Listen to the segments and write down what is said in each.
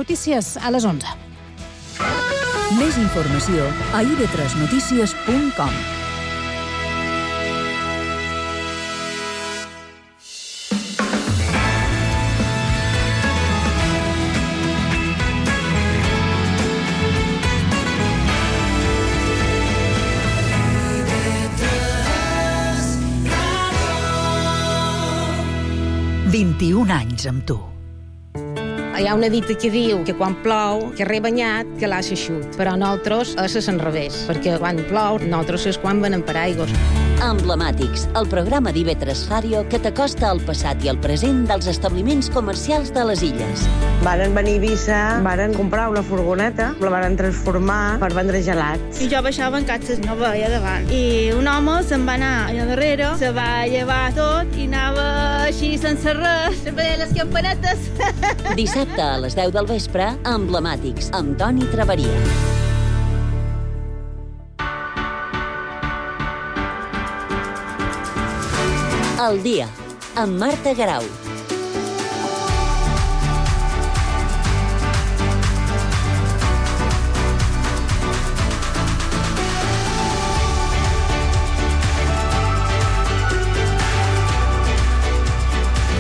notícies a les 11. Més informació a ib3notícies.com. anys amb tu. Hi ha una dita que diu que quan plou, que rebanyat, que l'ha eixut. Però nosaltres és l'enrevés, perquè quan plou, nosaltres és quan venem per aigües. Emblemàtics, el programa d'IV3 Ràdio que t'acosta al passat i al present dels establiments comercials de les illes. Varen venir a Eivissa, varen comprar una furgoneta, la varen transformar per vendre gelats. I jo baixava en catxes, no veia davant. I un home se'n va anar allà darrere, se va llevar tot i anava així sense res, veia les campanetes. Dissabte a les 10 del vespre, Emblemàtics, amb Toni Traveria. El dia, amb Marta Garau.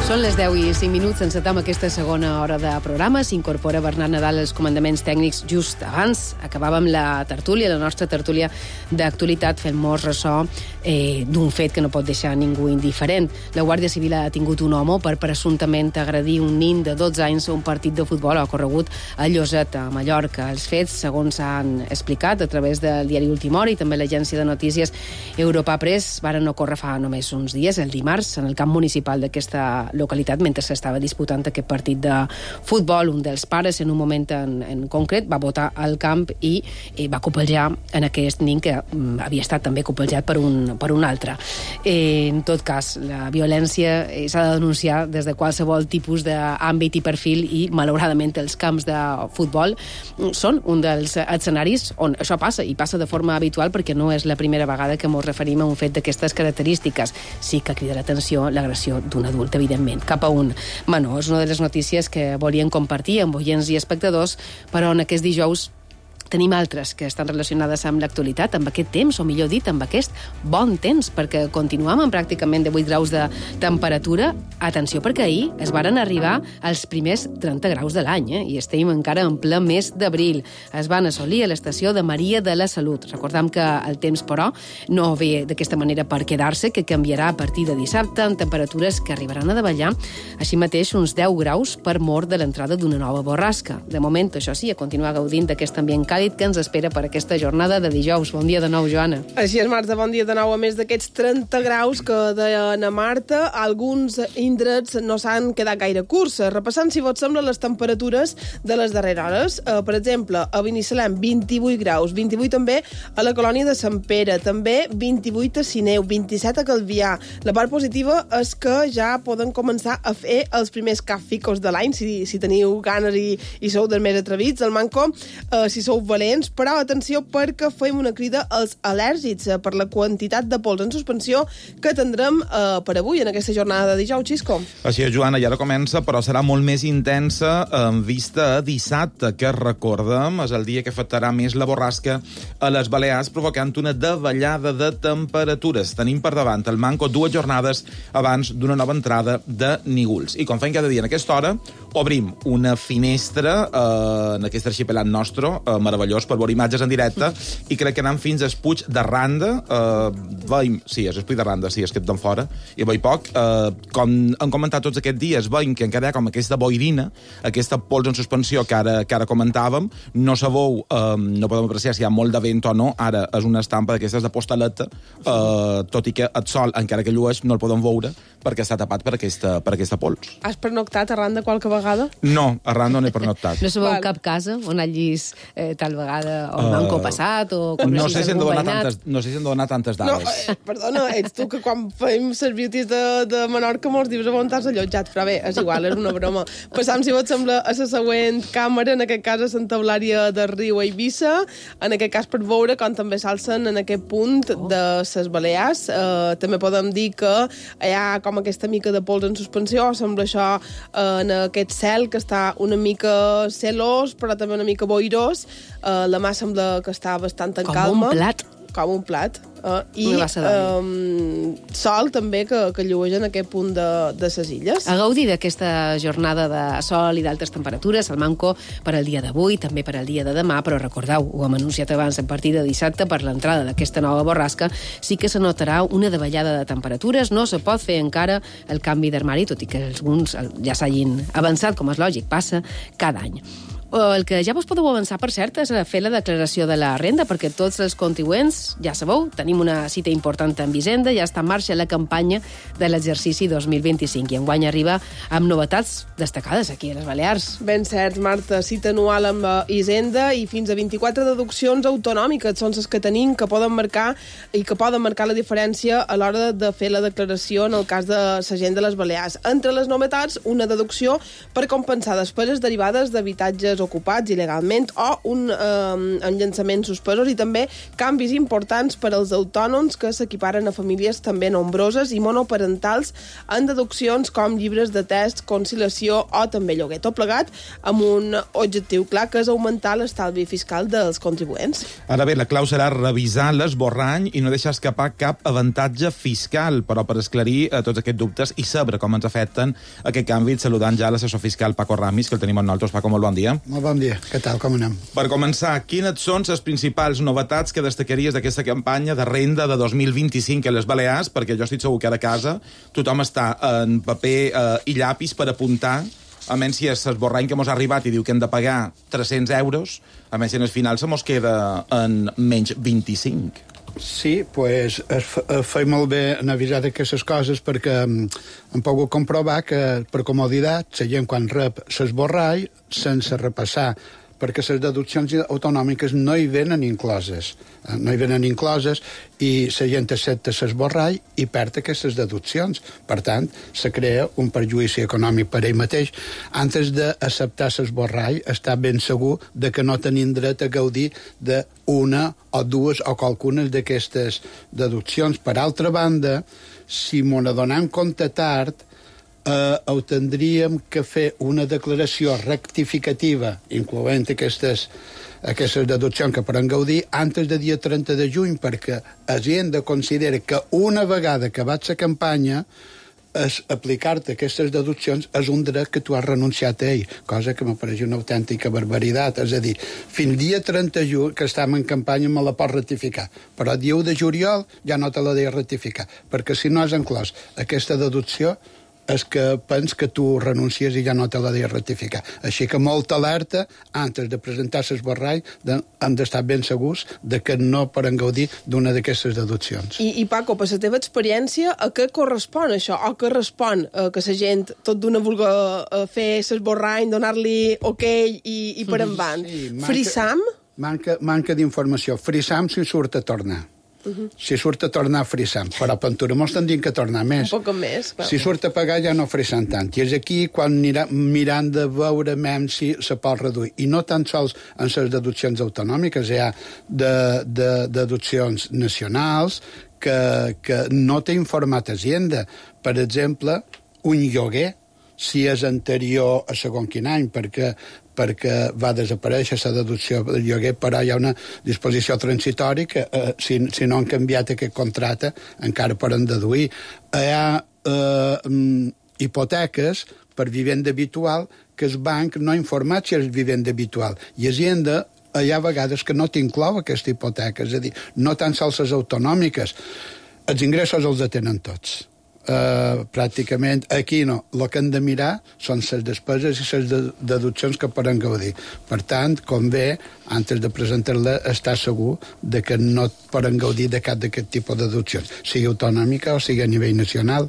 Són les 10 i 5 minuts, encetem aquesta segona hora de programa. S'incorpora Bernat Nadal als comandaments tècnics just abans. Acabàvem la tertúlia, la nostra tertúlia d'actualitat, fent-nos ressò d'un fet que no pot deixar ningú indiferent. La Guàrdia Civil ha detingut un home per presumptament agredir un nin de 12 anys a un partit de futbol ocorregut a Lloset, a Mallorca. Els fets, segons s'han explicat a través del diari Última Hora i també l'agència de notícies Europa Press, varen ocórrer fa només uns dies, el dimarts, en el camp municipal d'aquesta localitat, mentre s'estava disputant aquest partit de futbol. Un dels pares, en un moment en concret, va botar al camp i va copeljar en aquest nin que havia estat també copejat per un altre. En tot cas, la violència s'ha de denunciar des de qualsevol tipus d'àmbit i perfil i, malauradament, els camps de futbol són un dels escenaris on això passa, i passa de forma habitual perquè no és la primera vegada que ens referim a un fet d'aquestes característiques. Sí que crida l'atenció l'agressió d'un adult, evidentment, cap a un menor. És una de les notícies que volien compartir amb oients i espectadors, però en aquest dijous tenim altres que estan relacionades amb l'actualitat, amb aquest temps, o millor dit, amb aquest bon temps, perquè continuem amb pràcticament de 8 graus de temperatura. Atenció, perquè ahir es varen arribar als primers 30 graus de l'any, i estem encara en ple mes d'abril. Es van assolir a l'estació de Maria de la Salut. Recordem que el temps, però, no ve d'aquesta manera per quedar-se, que canviarà a partir de dissabte amb temperatures que arribaran a davallar, així mateix uns 10 graus per mort de l'entrada d'una nova borrasca. De moment, això sí, a continuar gaudint d'aquest ambient càlid que ens espera per aquesta jornada de dijous. Bon dia de nou, Joana. Així és, Marta, bon dia de nou. A més d'aquests 30 graus que deia na Marta, alguns indrets no s'han quedat gaire curts. Repassant, si vos sembla, les temperatures de les darreres hores. Per exemple, a Binissalem, 28 graus, 28 també a la colònia de Sant Pere, també 28 a Sineu, 27 a Calvià. La part positiva és que ja poden començar a fer els primers càficos de l'any, si teniu ganes i sou dels més atrevits. El manco, si sou valents, però atenció perquè fem una crida als al·lèrgics per la quantitat de pols en suspensió que tindrem per avui en aquesta jornada de dijous, Xisco. Així és, Joana, ja ara comença, però serà molt més intensa en vista a dissabte, que recordem és el dia que afectarà més la borrasca a les Balears, provocant una davallada de temperatures. Tenim per davant el manco 2 jornades abans d'una nova entrada de nígols. I com fem cada dia en aquesta hora, obrim una finestra en aquest arxipelat nostre, meravellós, per veure imatges en directe, i crec que anant fins al Puig de Randa, veiem, sí, és el Puig de Randa, sí, és que d'en fora, i veig poc, com hem comentat tots aquests dies, veiem que encara hi ha com aquesta boirina, aquesta pols en suspensió que ara comentàvem, no sabeu, no podem apreciar si hi ha molt de vent o no, ara és una estampa d'aquestes de postaleta, tot i que el sol, encara que llueix, no el podem veure, perquè està tapat per aquesta pols. Has pernoctat a Randa qualque vegada? No, a Randa no he pernoctat. No sabeu cap casa on hagis tal vegada, o el manco passat, o no sé si hem de donar tantes dades. No, perdona, ets tu que quan fem les beauties de Menorca mos dius on t'has allotjat, però bé, és igual, és una broma. Passam, si vos sembla, a la següent càmera, en aquest cas a Santa Eulària de Riu, a Eivissa, en aquest cas per veure com també s'alcen en aquest punt de les Balears. També podem dir que hi ha com aquesta mica de pols en suspensió, sembla això en aquest cel que està una mica celós, però també una mica boirós. La mà sembla que està bastant en calma. Com un plat. I sol també que llueix en aquest punt de ses illes. A gaudir d'aquesta jornada de sol i d'altes temperatures, el manco per al dia d'avui, també per al dia de demà, però recordeu, ho hem anunciat abans, a partir de dissabte, per l'entrada d'aquesta nova borrasca, sí que se notarà una davallada de temperatures. No se pot fer encara el canvi d'armari, tot i que alguns ja s'hagin avançat, com és lògic, passa cada any. El que ja vos podeu avançar, per cert, és fer la declaració de la renda, perquè tots els contribuents, ja sabeu, tenim una cita important amb Hisenda, ja està en marxa la campanya de l'exercici 2025, i enguany arriba amb novetats destacades aquí a les Balears. Ben cert, Marta, cita anual amb Hisenda i fins a 24 deduccions autonòmiques són les que tenim, que poden marcar la diferència a l'hora de fer la declaració en el cas de la gent de les Balears. Entre les novetats, una deducció per compensar despeses derivades d'habitatges ocupats il·legalment o un enllançament suspesos, i també canvis importants per als autònoms que s'equiparen a famílies també nombroses i monoparentals en deduccions com llibres de text, conciliació o també lloguer. Tot plegat amb un objectiu clar, que és augmentar l'estalvi fiscal dels contribuents. Ara bé, la clau serà revisar l'esborrany i no deixar escapar cap avantatge fiscal, però per esclarir tots aquests dubtes i saber com ens afecten aquest canvi, saludant ja l'assessor fiscal Paco Ramis, que el tenim amb nosaltres. Paco, molt bon dia. Molt bon dia. Què tal? Com anem? Per començar, quines són les principals novetats que destacaries d'aquesta campanya de renda de 2025 a les Balears? Perquè jo estic segur que a casa tothom està en paper i llapis per apuntar, a menys si és l'esborrany que mos ha arribat i diu que hem de pagar 300 euros, a menys si en el final se mos queda en menys 25. Sí, pues feia molt bé en avisar d'aquestes coses, perquè hem pogut comprovar que, per comoditat, la gent quan rep l'esborrall, sense repassar, perquè les deduccions autonòmiques no hi venen incloses. I la gent accepta l'esborrall i perd aquestes deduccions. Per tant, se crea un perjudici econòmic per ell mateix. Antes d'acceptar l'esborrall, està ben segur de que no tenim dret a gaudir d'una o dues o qualcunes d'aquestes deduccions. Per altra banda, si m'ho adonem compte tard, ho tindríem que fer una declaració rectificativa, incloent aquestes deduccions que podem gaudir, antes del dia 30 de juny, perquè Hisenda considera que una vegada acabat la campanya, aplicar-te aquestes deduccions és un dret que tu has renunciat a ell, cosa que m'apareix una autèntica barbaritat. És a dir, fins dia 30 de juny, que estem en campanya, me la pots ratificar, però el dia 1 de juliol ja no te la deia ratificar, perquè si no has inclòs aquesta deducció, és que pens que tu renuncies i ja no te la deia ratificar. Així que molta alerta, antes de presentar l'esborrall, hem d'estar ben segurs de que no poden gaudir d'una d'aquestes deduccions. I Paco, per la teva experiència, a què correspon això? O què respon que la gent tot d'una vulgui fer l'esborrany, donar-li ok i per endavant? Sí, Frisam? Manca d'informació. Frisam si surt a tornar. Si surt a tornar a frisam, però Pentura mos tindrien que tornar més. Un poc més. Clar. Si surt a pagar ja no frisam tant. I és aquí quan mirant de veure si se pot reduir. I no tan sols en les deduccions autonòmiques, hi ha deduccions nacionals que no té informat Hisenda. Per exemple, un lloguer, si és anterior a segon quin any, perquè va desaparèixer la deducció del lloguer, però hi ha una disposició transitòria que si no han canviat aquest contracte encara poden deduir. Hi ha hipoteques per vivenda habitual que el banc no ha informat si és vivenda habitual. I Hisenda hi ha vegades que no t'inclou aquesta hipoteca, és a dir, no tan sols les autonòmiques. Els ingressos els atenen tots. Pràcticament aquí no. El que hem de mirar són les despeses i les deduccions que poden gaudir. Per tant, convé, antes de presentar-la, estar segur de que no poden gaudir de cap d'aquest tipus de deduccions, sigui autonòmica o sigui a nivell nacional.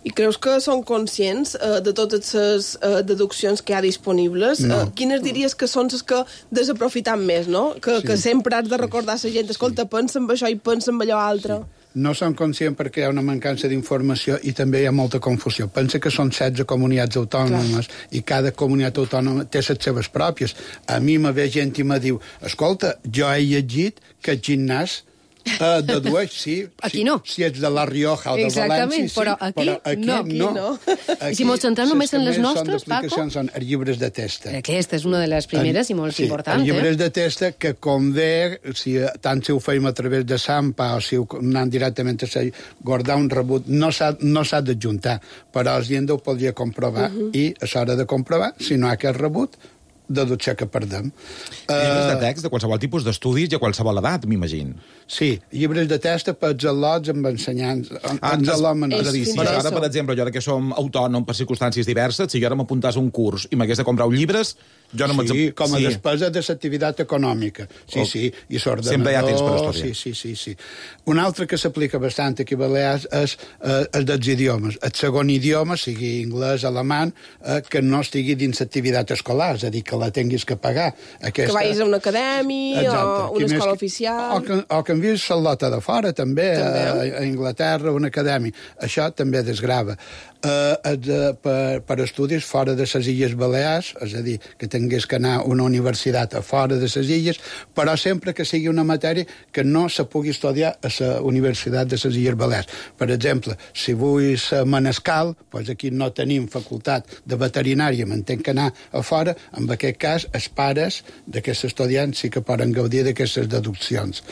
I creus que són conscients de totes les deduccions que hi ha disponibles? No. Quines diries que són les que desaprofiten més, no? Que sempre has de recordar a la gent, escolta, pensa en això i pensa en allò altre. No són conscients perquè hi ha una mancança d'informació i també hi ha molta confusió. Pensa que són 16 comunitats autònomes i cada comunitat autònoma té les seves pròpies. A mi me ve gent i me diu, escolta, jo he llegit que el gimnàs dedueix, sí. Aquí no. Si ets de La Rioja o de València, sí, però aquí no. I si mos centrem només en les nostres, Paco? Són els llibres de testa. Aquesta és una de les primeres i molt important. Els llibres de testa que convé, tant si ho feim a través de Sampa o si ho anem directament a guardar un rebut, no s'ha d'adjuntar, però el gent ho podria comprovar i a l'hora de comprovar, si no hi ha aquest rebut, deducció que perdem. Llibres de text de qualsevol tipus d'estudis i a qualsevol edat, m'imagino. Sí, llibres de text per als al·lots amb ensenyants. És a dir, si ara, per exemple, jo ara que som autònom per circumstàncies diverses, si jo ara m'apuntàs a un curs i m'hagués de comprar llibres, jo no Sí, com a despesa de l'activitat econòmica. Sí, i l'ordenador... Sempre hi ha temps per estudiar. Sí. Un altre que s'aplica bastant aquí a Balears és el dels idiomes. El segon idioma, sigui anglès, alemany, que no estigui dins l'activitat escolar, és a dir, que la tinguis que pagar. Que vagis a una acadèmia o una escola oficial. O que envies Charlotte de fora, també. A Anglaterra, una acadèmia. Això també desgrava. Per estudis fora de les Illes Balears, és a dir, que tingués que anar a una universitat a fora de les illes, però sempre que sigui una matèria que no se pugui estudiar a la Universitat de les Illes Balears. Per exemple, si vull ser manescal, doncs aquí no tenim facultat de veterinària, m'entenc que anar a fora, en aquest cas, els pares d'aquests estudiants sí que poden gaudir d'aquestes deduccions.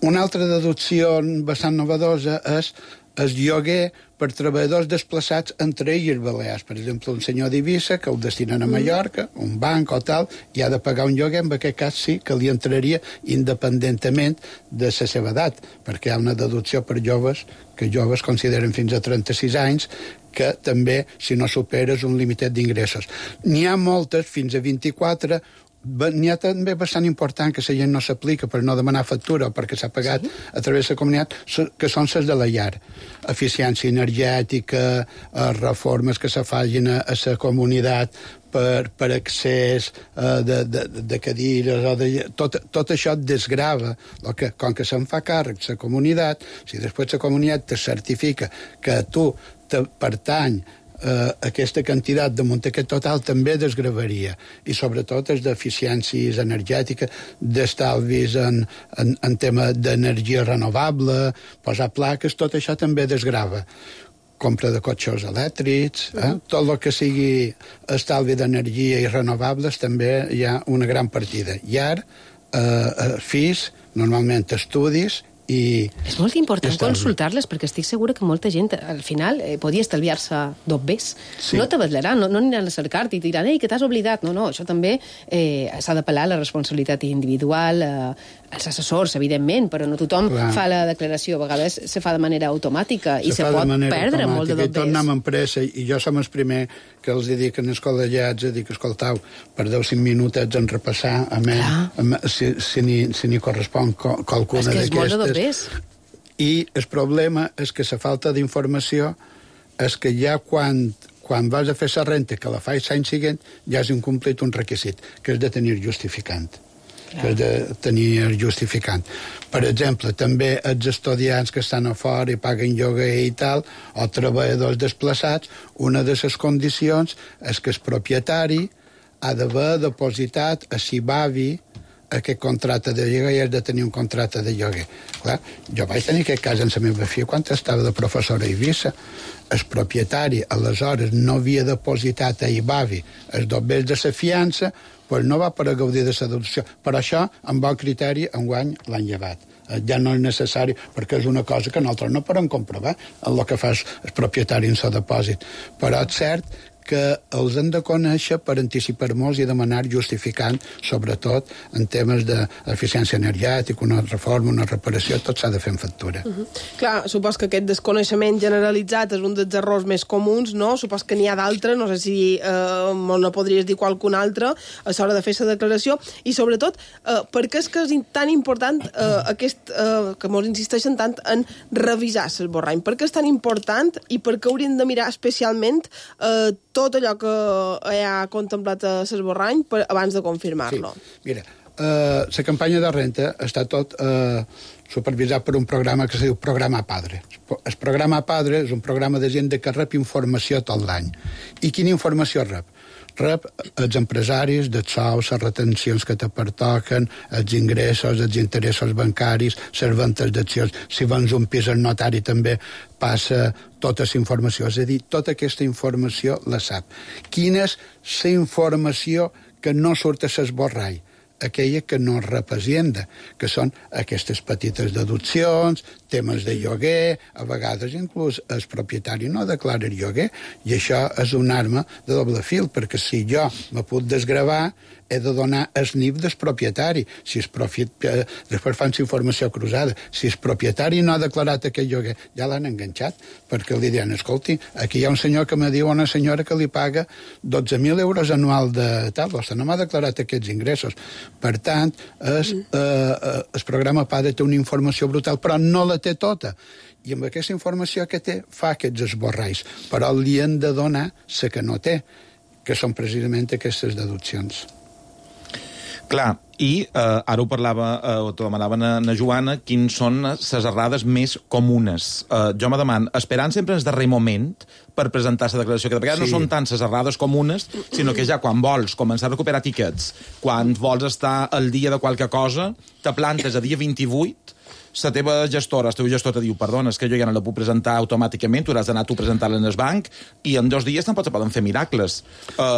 Una altra deducció bastant novedosa és el lloguer per treballadors desplaçats entre illes Balears. Per exemple, un senyor d'Eivissa que el destinen a Mallorca, un banc o tal, i ha de pagar un lloguer, en aquest cas sí que li entraria independentment de la seva edat, perquè hi ha una deducció per joves, que joves consideren fins a 36 anys, que també, si no superes un limitet d'ingressos. N'hi ha moltes, fins a 24. N'hi ha també bastant important que la gent no s'aplica per no demanar factura o perquè s'ha pagat a través de la comunitat, que són les de la llar. Eficiència energètica, reformes que se facin a la comunitat per accés de cadires, tot això et desgrava. Com que se'n fa càrrec la comunitat, si després la comunitat te certifica que tu te pertany aquesta quantitat damunt aquest total també desgravaria, i sobretot és d'eficiències energètiques, d'estalvis en tema d'energia renovable, posar plaques, tot això també desgrava. Compra de cotxes elèctrics, tot el que sigui estalvi d'energia i renovables també hi ha una gran partida. Llar, fills, normalment estudis, és molt important consultar-les, perquè estic segura que molta gent al final podia estalviar-se dobbers. No t'abatlaran, no aniran a cercar-te i et diran que t'has oblidat. No, això també s'ha d'apel·lar a la responsabilitat individual, als assessors, evidentment, però no tothom fa la declaració. A vegades se fa de manera automàtica i se pot perdre molt de dobbers. I tornem en pressa, i jo som el primer que els dic als col·legiats, dic, escoltau, perdeu 5 minutets en repassar, si n'hi correspon qualcuna d'aquestes. I el problema és que la falta d'informació és que ja quan vas a fer la renta, que la fas l'any següent, ja has incomplit un requisit, que és de tenir justificant. Per exemple, també els estudiants que estan a fora i paguen lloguer i tal, o treballadors desplaçats, una de les condicions és que el propietari ha d'haver depositat a Cibavi aquest contracte de lloguer i has de tenir un contracte de lloguer. Clar, jo vaig tenir aquest cas amb la meva filla quan estava de professora a Eivissa. El propietari, aleshores, no havia depositat a Ibavi els dobbers de la fiança, doncs no va poder gaudir de la deducció. Per això, amb bon criteri, enguany l'han llevat. Ja no és necessari, perquè és una cosa que nosaltres no podem comprovar el que fa el propietari en el depòsit. Però és cert que els hem de conèixer per anticipar-nos i demanar justificant, sobretot en temes d'eficiència energètica, una reforma, una reparació, tot s'ha de fer en factura. Clar, supos que aquest desconeixement generalitzat és un dels errors més comuns, no? Supos que n'hi ha d'altres, no sé si no podries dir qualcun altre a l'hora de fer la declaració, i sobretot, per què és que és tan important que mos insisteixen tant en revisar l'esborrany? Per què és tan important i per què hauríem de mirar especialment tot allò que ha contemplat l'esborrany abans de confirmar-lo? Sí. Mira, la campanya de renta està tot supervisat per un programa que es diu Programa Padre. El Programa Padre és un programa de gent que rep informació tot l'any. I quina informació rep? Rep els empresaris, dels sous, les retencions que te pertoquen, els ingressos, els interessos bancaris, les ventes d'accions. Si vens un pis al notari també passa tota la informació. És a dir, tota aquesta informació la sap. Quina és la informació que no surt a l'esborrany? Aquella que no rep Hacienda, que són aquestes petites deduccions, temes de lloguer, a vegades inclús el propietari no declara el lloguer, i això és una arma de doble fil, perquè si jo me puc desgravar, he de donar el NIF del propietari. Després fan informació cruzada. Si el propietari no ha declarat aquest lloguer, ja l'han enganxat, perquè li diuen, escolti, aquí hi ha un senyor que me diu a una senyora que li paga 12.000 euros anual de tal, vostè no m'ha declarat aquests ingressos. Per tant, el programa PADE té una informació brutal, però no la té tota. I amb aquesta informació que té, fa aquests esborrais. Però li han de donar la que no té, que són precisament aquestes deduccions. Clar, i ara ho parlava, o t'ho demanava na Joana, quins són les errades més comunes. Jo me demano, esperant sempre el darrer moment per presentar la declaració, que de vegades no són tant les errades comunes, sinó que ja quan vols començar a recuperar tiquets, quan vols estar al dia de qualque cosa, te plantes a dia 28, la teva gestora, el teu gestor te diu, perdona, és que jo ja no la puc presentar automàticament, tu hauràs d'anar tu a presentar-la en el banc, i en 2 dies tampoc se poden fer miracles.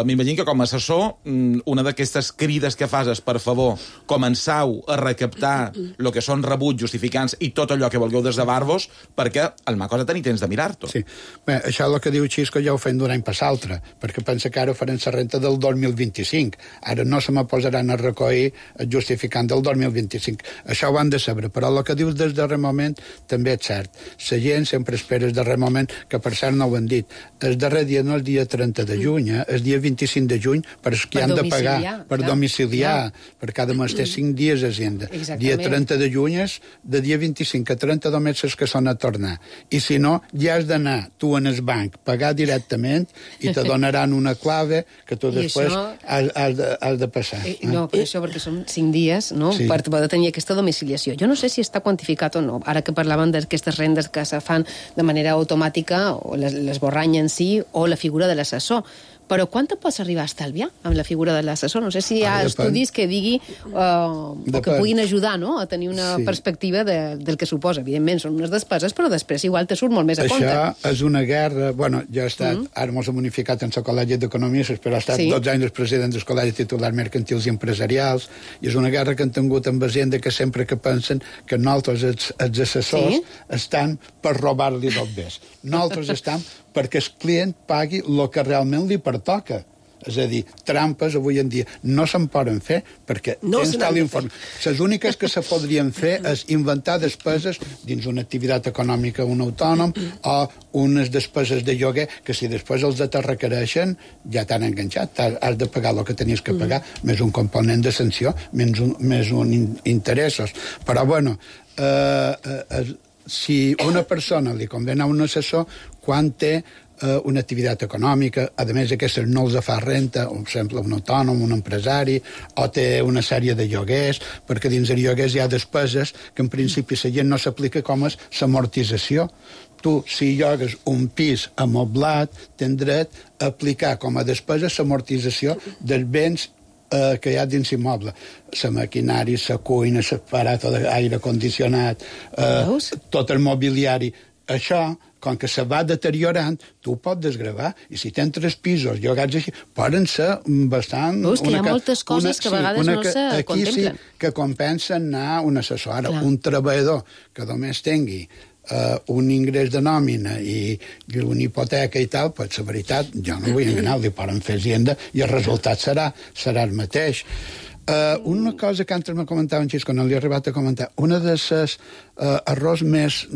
M'imagino que com a assessor, una d'aquestes crides que fas és, per favor, començau a recaptar el que són rebuts justificants i tot allò que vulgueu desdavar-vos, perquè el mà cosa tenir temps de mirar-t'ho. Sí. Bé, això és el que diu Xisco ja ho fem d'un any per l'altre, perquè pensa que ara farem la renta del 2025. Ara no se me posaran a recollir el justificant del 2025. Això ho han de saber, però el que dius des darrer moment també és cert. La gent sempre espera el darrer moment, que per cert no ho han dit. El darrer dia no és el dia 30 de juny, el dia 25 de juny, per qui han de pagar, per domiciliar, per cada mes té 5 dies a Hacienda. Dia 30 de juny és de dia 25 a 30 només és que són a tornar. I si no, ja has d'anar tu en el banc, pagar directament i te donaran una clave que tu després has de passar. No, per això, perquè són 5 dies, no?, per poder tenir aquesta domiciliació. Jo no sé si està quantificat o no. Ara que parlaven d'aquestes rendes que se fan de manera automàtica, o l'esborrany en si, o la figura de l'assessor. Però quant te pots arribar a estalviar amb la figura de l'assessor? No sé si hi ha estudis que digui o que puguin ajudar, no?, a tenir una perspectiva del que suposa. Evidentment, són unes despeses, però després igual te surt molt més a compte. Això és una guerra... Bueno, jo he estat... Ara m'ho he unificat en el Col·legi d'Economistes, però he estat 12 anys president del Col·legi Titular Mercantils i Empresarials, i és una guerra que han tingut amb Hacienda, que sempre que pensen que nosaltres, els assessors, estan per robar-li del bes. Nosaltres estem perquè el client pagui el que realment li pertoca. És a dir, trampes avui en dia no se'n poden fer perquè tens tal informe. Les úniques que se podrien fer és inventar despeses dins una activitat econòmica, un autònom, o unes despeses de lloguer que si després els te requereixen ja t'han enganxat. Has de pagar el que tenies que pagar, més un component de sanció, més un interessos. Però, bueno, si una persona li convé a un assessor quan té una activitat econòmica, a més aquestes no els fa renta, per exemple, un autònom, un empresari, o té una sèrie de lloguers, perquè dins de lloguers hi ha despeses que en principi la gent no s'aplica com és l'amortització. Tu, si llogues un pis amoblat, tens dret a aplicar com a despesa l'amortització dels béns que hi ha dins immoble. La maquinària, la cuina, l'aparato d'aire condicionat, tot el mobiliari. Això, com que se va deteriorant, tu ho pots desgravar. I si tens 3 pisos llogats així, poden ser bastant... Veus que hi ha moltes coses que a vegades no se contemplen. Aquí sí que compensa anar a un assessor. Ara, un treballador que només tingui un ingrés de nòmina i una hipoteca i tal, pues la veritat, jo no vull enganar, li poden fer Hacienda i el resultat serà el mateix. Una cosa que antes me comentava en Xisco, no li he arribat a comentar, una de les errors més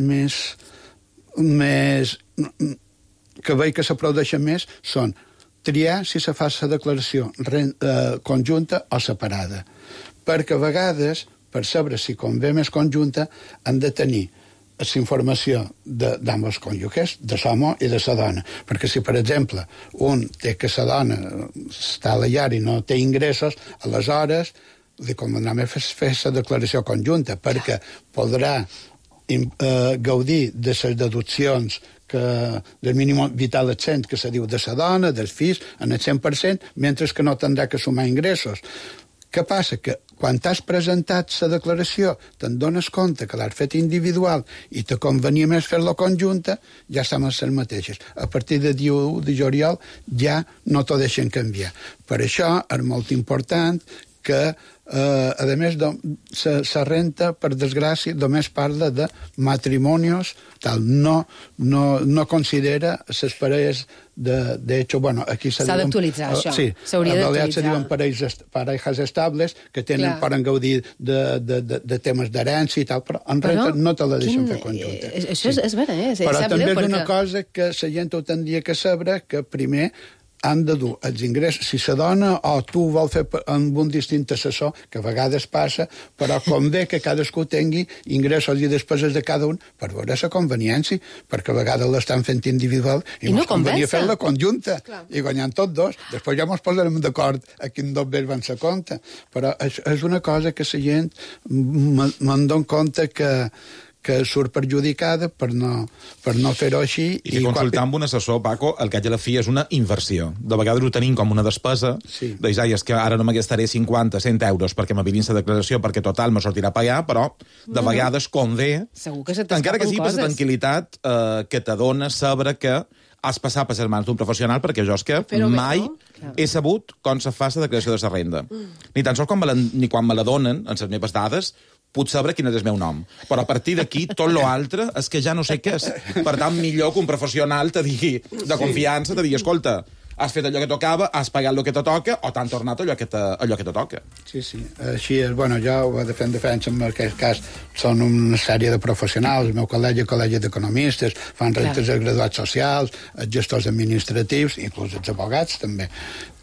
que veig que s'aplaudeixen més són triar si se fa la declaració conjunta o separada. Perquè a vegades, per saber si convé més conjunta, han de tenir la informació d'ambos cònjuges, de l'home i de la dona. Perquè si, per exemple, un té que la dona està a la llar i no té ingressos, aleshores li convendrà més fer la declaració conjunta, perquè podrà gaudir de les deduccions del mínim vital exempt que se diu de la dona, dels fills, en el 100%, mentre que no tindrà que sumar ingressos. Què passa? Que quan t'has presentat la declaració te'n dones compte que l'has fet individual i te convenia més fer-la conjunta, ja estan les mateixes. A partir de 1 de juliol ja no t'ho deixen canviar. Per això és molt important que, a més, la renta, per desgràcia, només parla de matrimonis, tal, no considera les parelles de hecho, bueno, aquí s'ha d'actualitzar, això. Sí, s'hauria d'actualitzar. Se diuen parelles estables que poden gaudir de temes d'herència i tal, però en renta no te la deixen fer conjunta. Això és vera, però també és una cosa que la gent ho tindria que saber, que primer han de dur els ingressos. Si la dona o tu vol fer amb un distint assessor, que a vegades passa, però convé que cadascú tingui ingressos i despeses de cada un per veure la conveniència, perquè a vegades l'estan fent individual i no convenia fer-la conjunta. I guanyant tots dos. Després ja ens posarem d'acord a quin dos bé van ser compte. Però és una cosa que la gent me'n dono compte que surt perjudicada per no fer-ho així. I consultar amb un assessor, Paco, el que a la fi és una inversió. De vegades ho tenim com una despesa, és que ara no me gastaré 50, 100 euros perquè m'avilin la declaració, perquè total me sortirà a pagar, però de vegades convé, encara que sigui per la tranquil·litat que t'adona saber que has passat per les mans d'un professional, perquè jo és que mai he sabut com se fa la declaració de la renda. Ni tan sols ni quan me la donen, en les meves dades, puc saber quin és el meu nom. Però a partir d'aquí, tot l'altre és que ja no sé què és. Per tant, millor que un professional te digui, de confiança, te digui, escolta, has fet allò que tocava, has pagat el que te toca, o t'han tornat allò que te toca. Sí. Així és. Bueno, jo ho de fer en defensa, en aquest cas, són una sèrie de professionals, el meu col·legi d'economistes, fan rentes de graduats socials, els gestors administratius, inclús els abogats, també.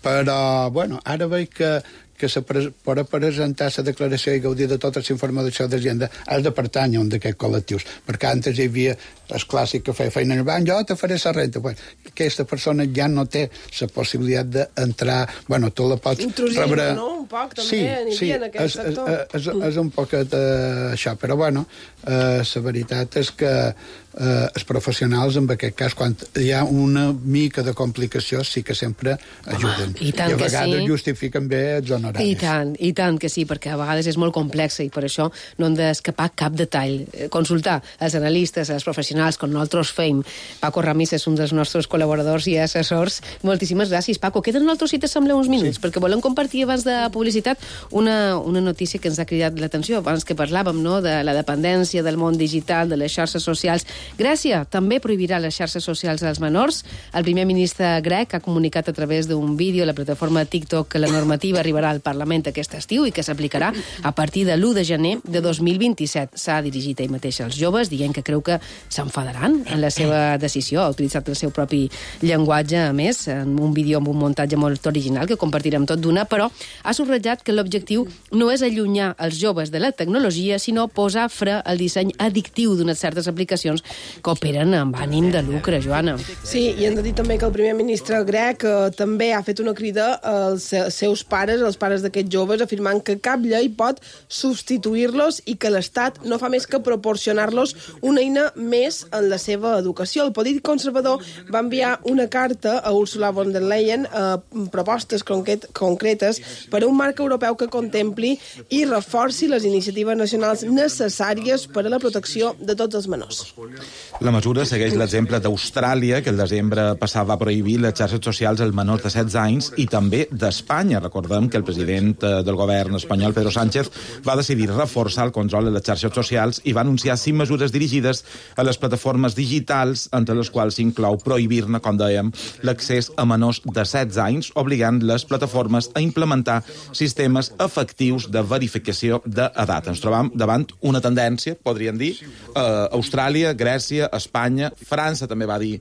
Però, bueno, ara veig que per presentar la declaració i gaudir de tota la informació d'Hacienda has de pertànyer a un d'aquests col·lectius, perquè antes hi havia el clàssic que feia feina en el banc, jo te faré la renta. Bueno, aquesta persona ja no té la possibilitat d'entrar, bueno, tu la pots rebre... No? Un poc, també, en aquest sector. És un poc això, però bueno, la veritat és que els professionals, en aquest cas, quan hi ha una mica de complicació, sí que sempre ajuden. I a vegades justifiquen bé els honoraris. I tant que sí, perquè a vegades és molt complexa i per això no hem d'escapar cap detall. Consultar els analistes, els professionals, com nosaltres feim. Paco Ramis és un dels nostres col·laboradors i assessors. Moltíssimes gràcies, Paco. Queden nosaltres, si t'assembla, uns minuts, perquè volem compartir abans de publicitat una notícia que ens ha cridat l'atenció, abans que parlàvem, no?, de la dependència, del món digital, de les xarxes socials. Grècia també prohibirà les xarxes socials als menors. El primer ministre grec ha comunicat a través d'un vídeo a la plataforma TikTok que la normativa arribarà al Parlament aquest estiu i que s'aplicarà a partir de l'1 de gener de 2027. S'ha dirigit ell mateix als joves, dient que creu que s'enfadaran en la seva decisió. Ha utilitzat el seu propi llenguatge, a més, en un vídeo amb un muntatge molt original que compartirem tot d'una, però ha subratllat que l'objectiu no és allunyar els joves de la tecnologia, sinó posar fre al disseny addictiu d'unes certes aplicacions que operen amb ànim de lucre, Joana. Sí, i hem de dir també que el primer ministre grec també ha fet una crida als seus pares, als pares d'aquests joves, afirmant que cap llei pot substituir-los i que l'Estat no fa més que proporcionar-los una eina més en la seva educació. El polític conservador va enviar una carta a Ursula von der Leyen propostes concretes per a un marc europeu que contempli i reforci les iniciatives nacionals necessàries per a la protecció de tots els menors. La mesura segueix l'exemple d'Austràlia, que el desembre passat va prohibir les xarxes socials als menors de 16 anys, i també d'Espanya. Recordem que el president del govern espanyol, Pedro Sánchez, va decidir reforçar el control de les xarxes socials i va anunciar 5 mesures dirigides a les plataformes digitals, entre les quals s'inclou prohibir-ne, com dèiem, l'accés a menors de 16 anys, obligant les plataformes a implementar sistemes efectius de verificació d'edat. Ens trobam davant una tendència, podríem dir, Austràlia, Grècia, Espanya, França també va dir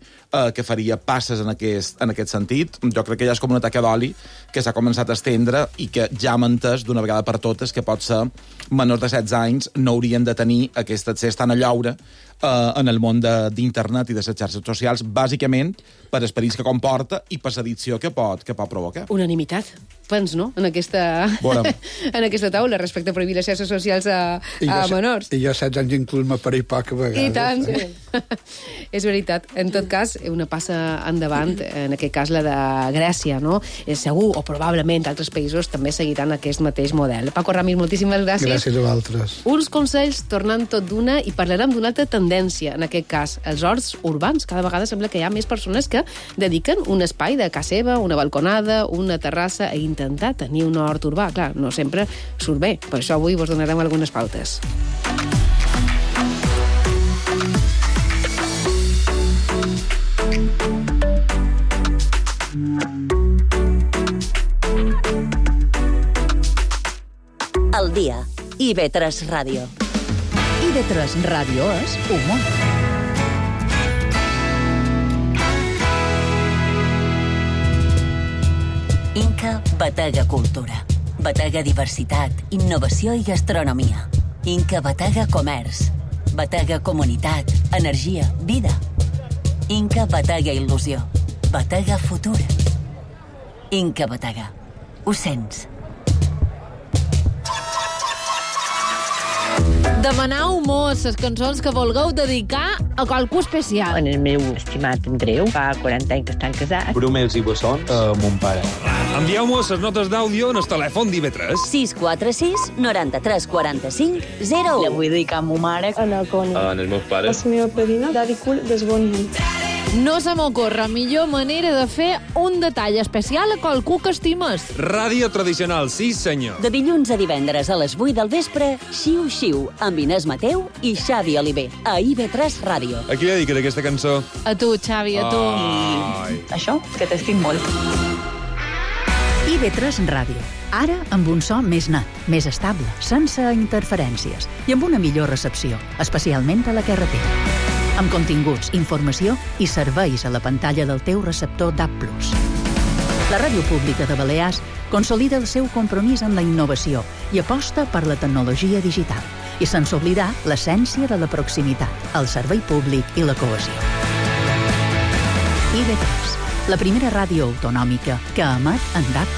que faria passes en aquest sentit. Jo crec que ja és com una taca d'oli que s'ha començat a estendre i que ja hem entès d'una vegada per totes que pot ser menors de 16 anys no haurien de tenir aquest accés tan a llaure en el món d'internet i de les xarxes socials, bàsicament per esperits que comporta i per l'addicció que pot provocar. Unanimitat, pens, no?, en aquesta taula respecte a prohibir les xarxes socials a menors. I jo 16 anys inclús m'apareix poc a vegades. I tant. Sí. És veritat. En tot cas, una passa endavant, en aquest cas la de Grècia, no? Segur, o probablement altres països també seguiran aquest mateix model. Paco Ramis, moltíssimes gràcies. Gràcies a vosaltres. Uns consells tornant tot d'una i parlarem d'una altra tendència, en aquest cas, els horts urbans. Cada vegada sembla que hi ha més persones que dediquen un espai de casa seva, una balconada, una terrassa, a intentar tenir un hort urbà. Clar, no sempre surt bé. Per això avui vos donarem algunes pautes. El dia. IB3 Ràdio. IB3 Ràdio és humor. Inca Batega Cultura. Batega Diversitat, Innovació i Gastronomia. Inca Batega Comerç. Batega Comunitat, Energia, Vida. Inca Batega Il·lusió. Batega Futur. Inca Batega. Ho sents? Demanau mos les cançons que vulgueu dedicar a qualcú especial. En el meu estimat Andreu, fa 40 anys que estan casats. Brumels i bessons a mon pare. Envieu-mos les notes d'àudio en el telèfon d'IV3. 646 93 45 01. La vull dedicar a ma mare. En els meus pares. A la meva padrina, Daddy Cool, desboni. No se m'ocorre millor manera de fer un detall especial a qualcú que estimes. Ràdio tradicional, sí senyor. De dilluns a divendres a les 8 del vespre, Xiu Xiu, amb Inés Mateu i Xavi Oliver, a IB3 Ràdio. A qui li dediques aquesta cançó? A tu, Xavi, a tu. I això, que t'estic molt. IB3 Ràdio. Ara amb un so més net, més estable, sense interferències i amb una millor recepció, especialment a la carretera. Amb continguts, informació i serveis a la pantalla del teu receptor DAB+. La Ràdio Pública de Balears consolida el seu compromís amb la innovació i aposta per la tecnologia digital, i sense oblidar l'essència de la proximitat, el servei públic i la cohesió. IB3, la primera ràdio autonòmica que emet en DAB+.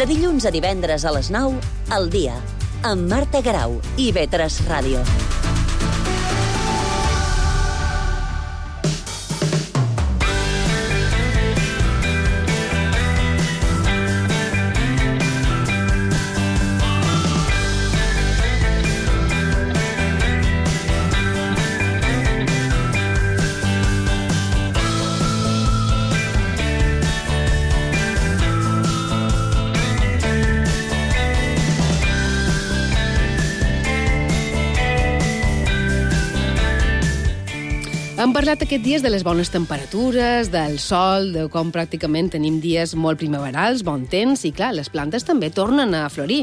De dilluns a divendres a les 9, El dia, amb Marta Garau, IB3 Ràdio. Hem parlat aquests dies de les bones temperatures, del sol, de com pràcticament tenim dies molt primaverals, bon temps, i clar, les plantes també tornen a florir.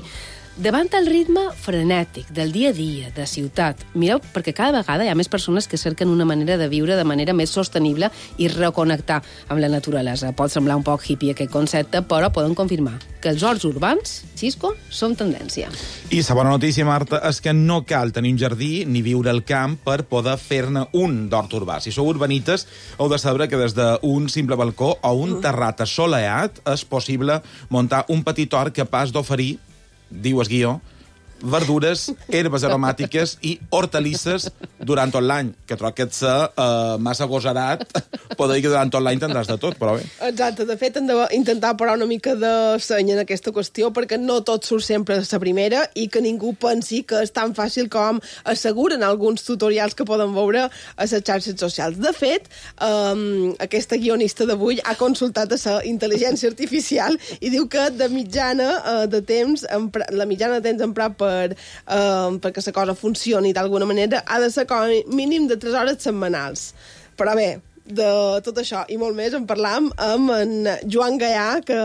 Davant el ritme frenètic del dia a dia, de ciutat, mireu, perquè cada vegada hi ha més persones que cerquen una manera de viure de manera més sostenible i reconnectar amb la naturalesa. Pot semblar un poc hippie aquest concepte, però poden confirmar que els horts urbans, Xisco, són tendència. I la bona notícia, Marta, és que no cal tenir un jardí ni viure al camp per poder fer-ne un d'hort urbà. Si sou urbanites, heu de saber que des d'un simple balcó o un terrat assolellat és possible muntar un petit hort capaç d'oferir, diu el guió, verdures, herbes aromàtiques i hortalisses durant tot l'any, que trobo que ets massa agosarat, poder dir que durant tot l'any tindràs de tot, però bé. Exacte, de fet hem d'intentar parar una mica de seny en aquesta qüestió, perquè no tot surt sempre a la primera i que ningú pensi que és tan fàcil com asseguren alguns tutorials que poden veure a les xarxes socials. De fet, aquesta guionista d'avui ha consultat a la intel·ligència artificial i diu que de mitjana de temps, la mitjana de temps emprat perquè la cosa funcioni d'alguna manera ha de ser com a mínim de 3 hores setmanals. Però bé, de tot això i molt més en parlam amb en Joan Gaià, que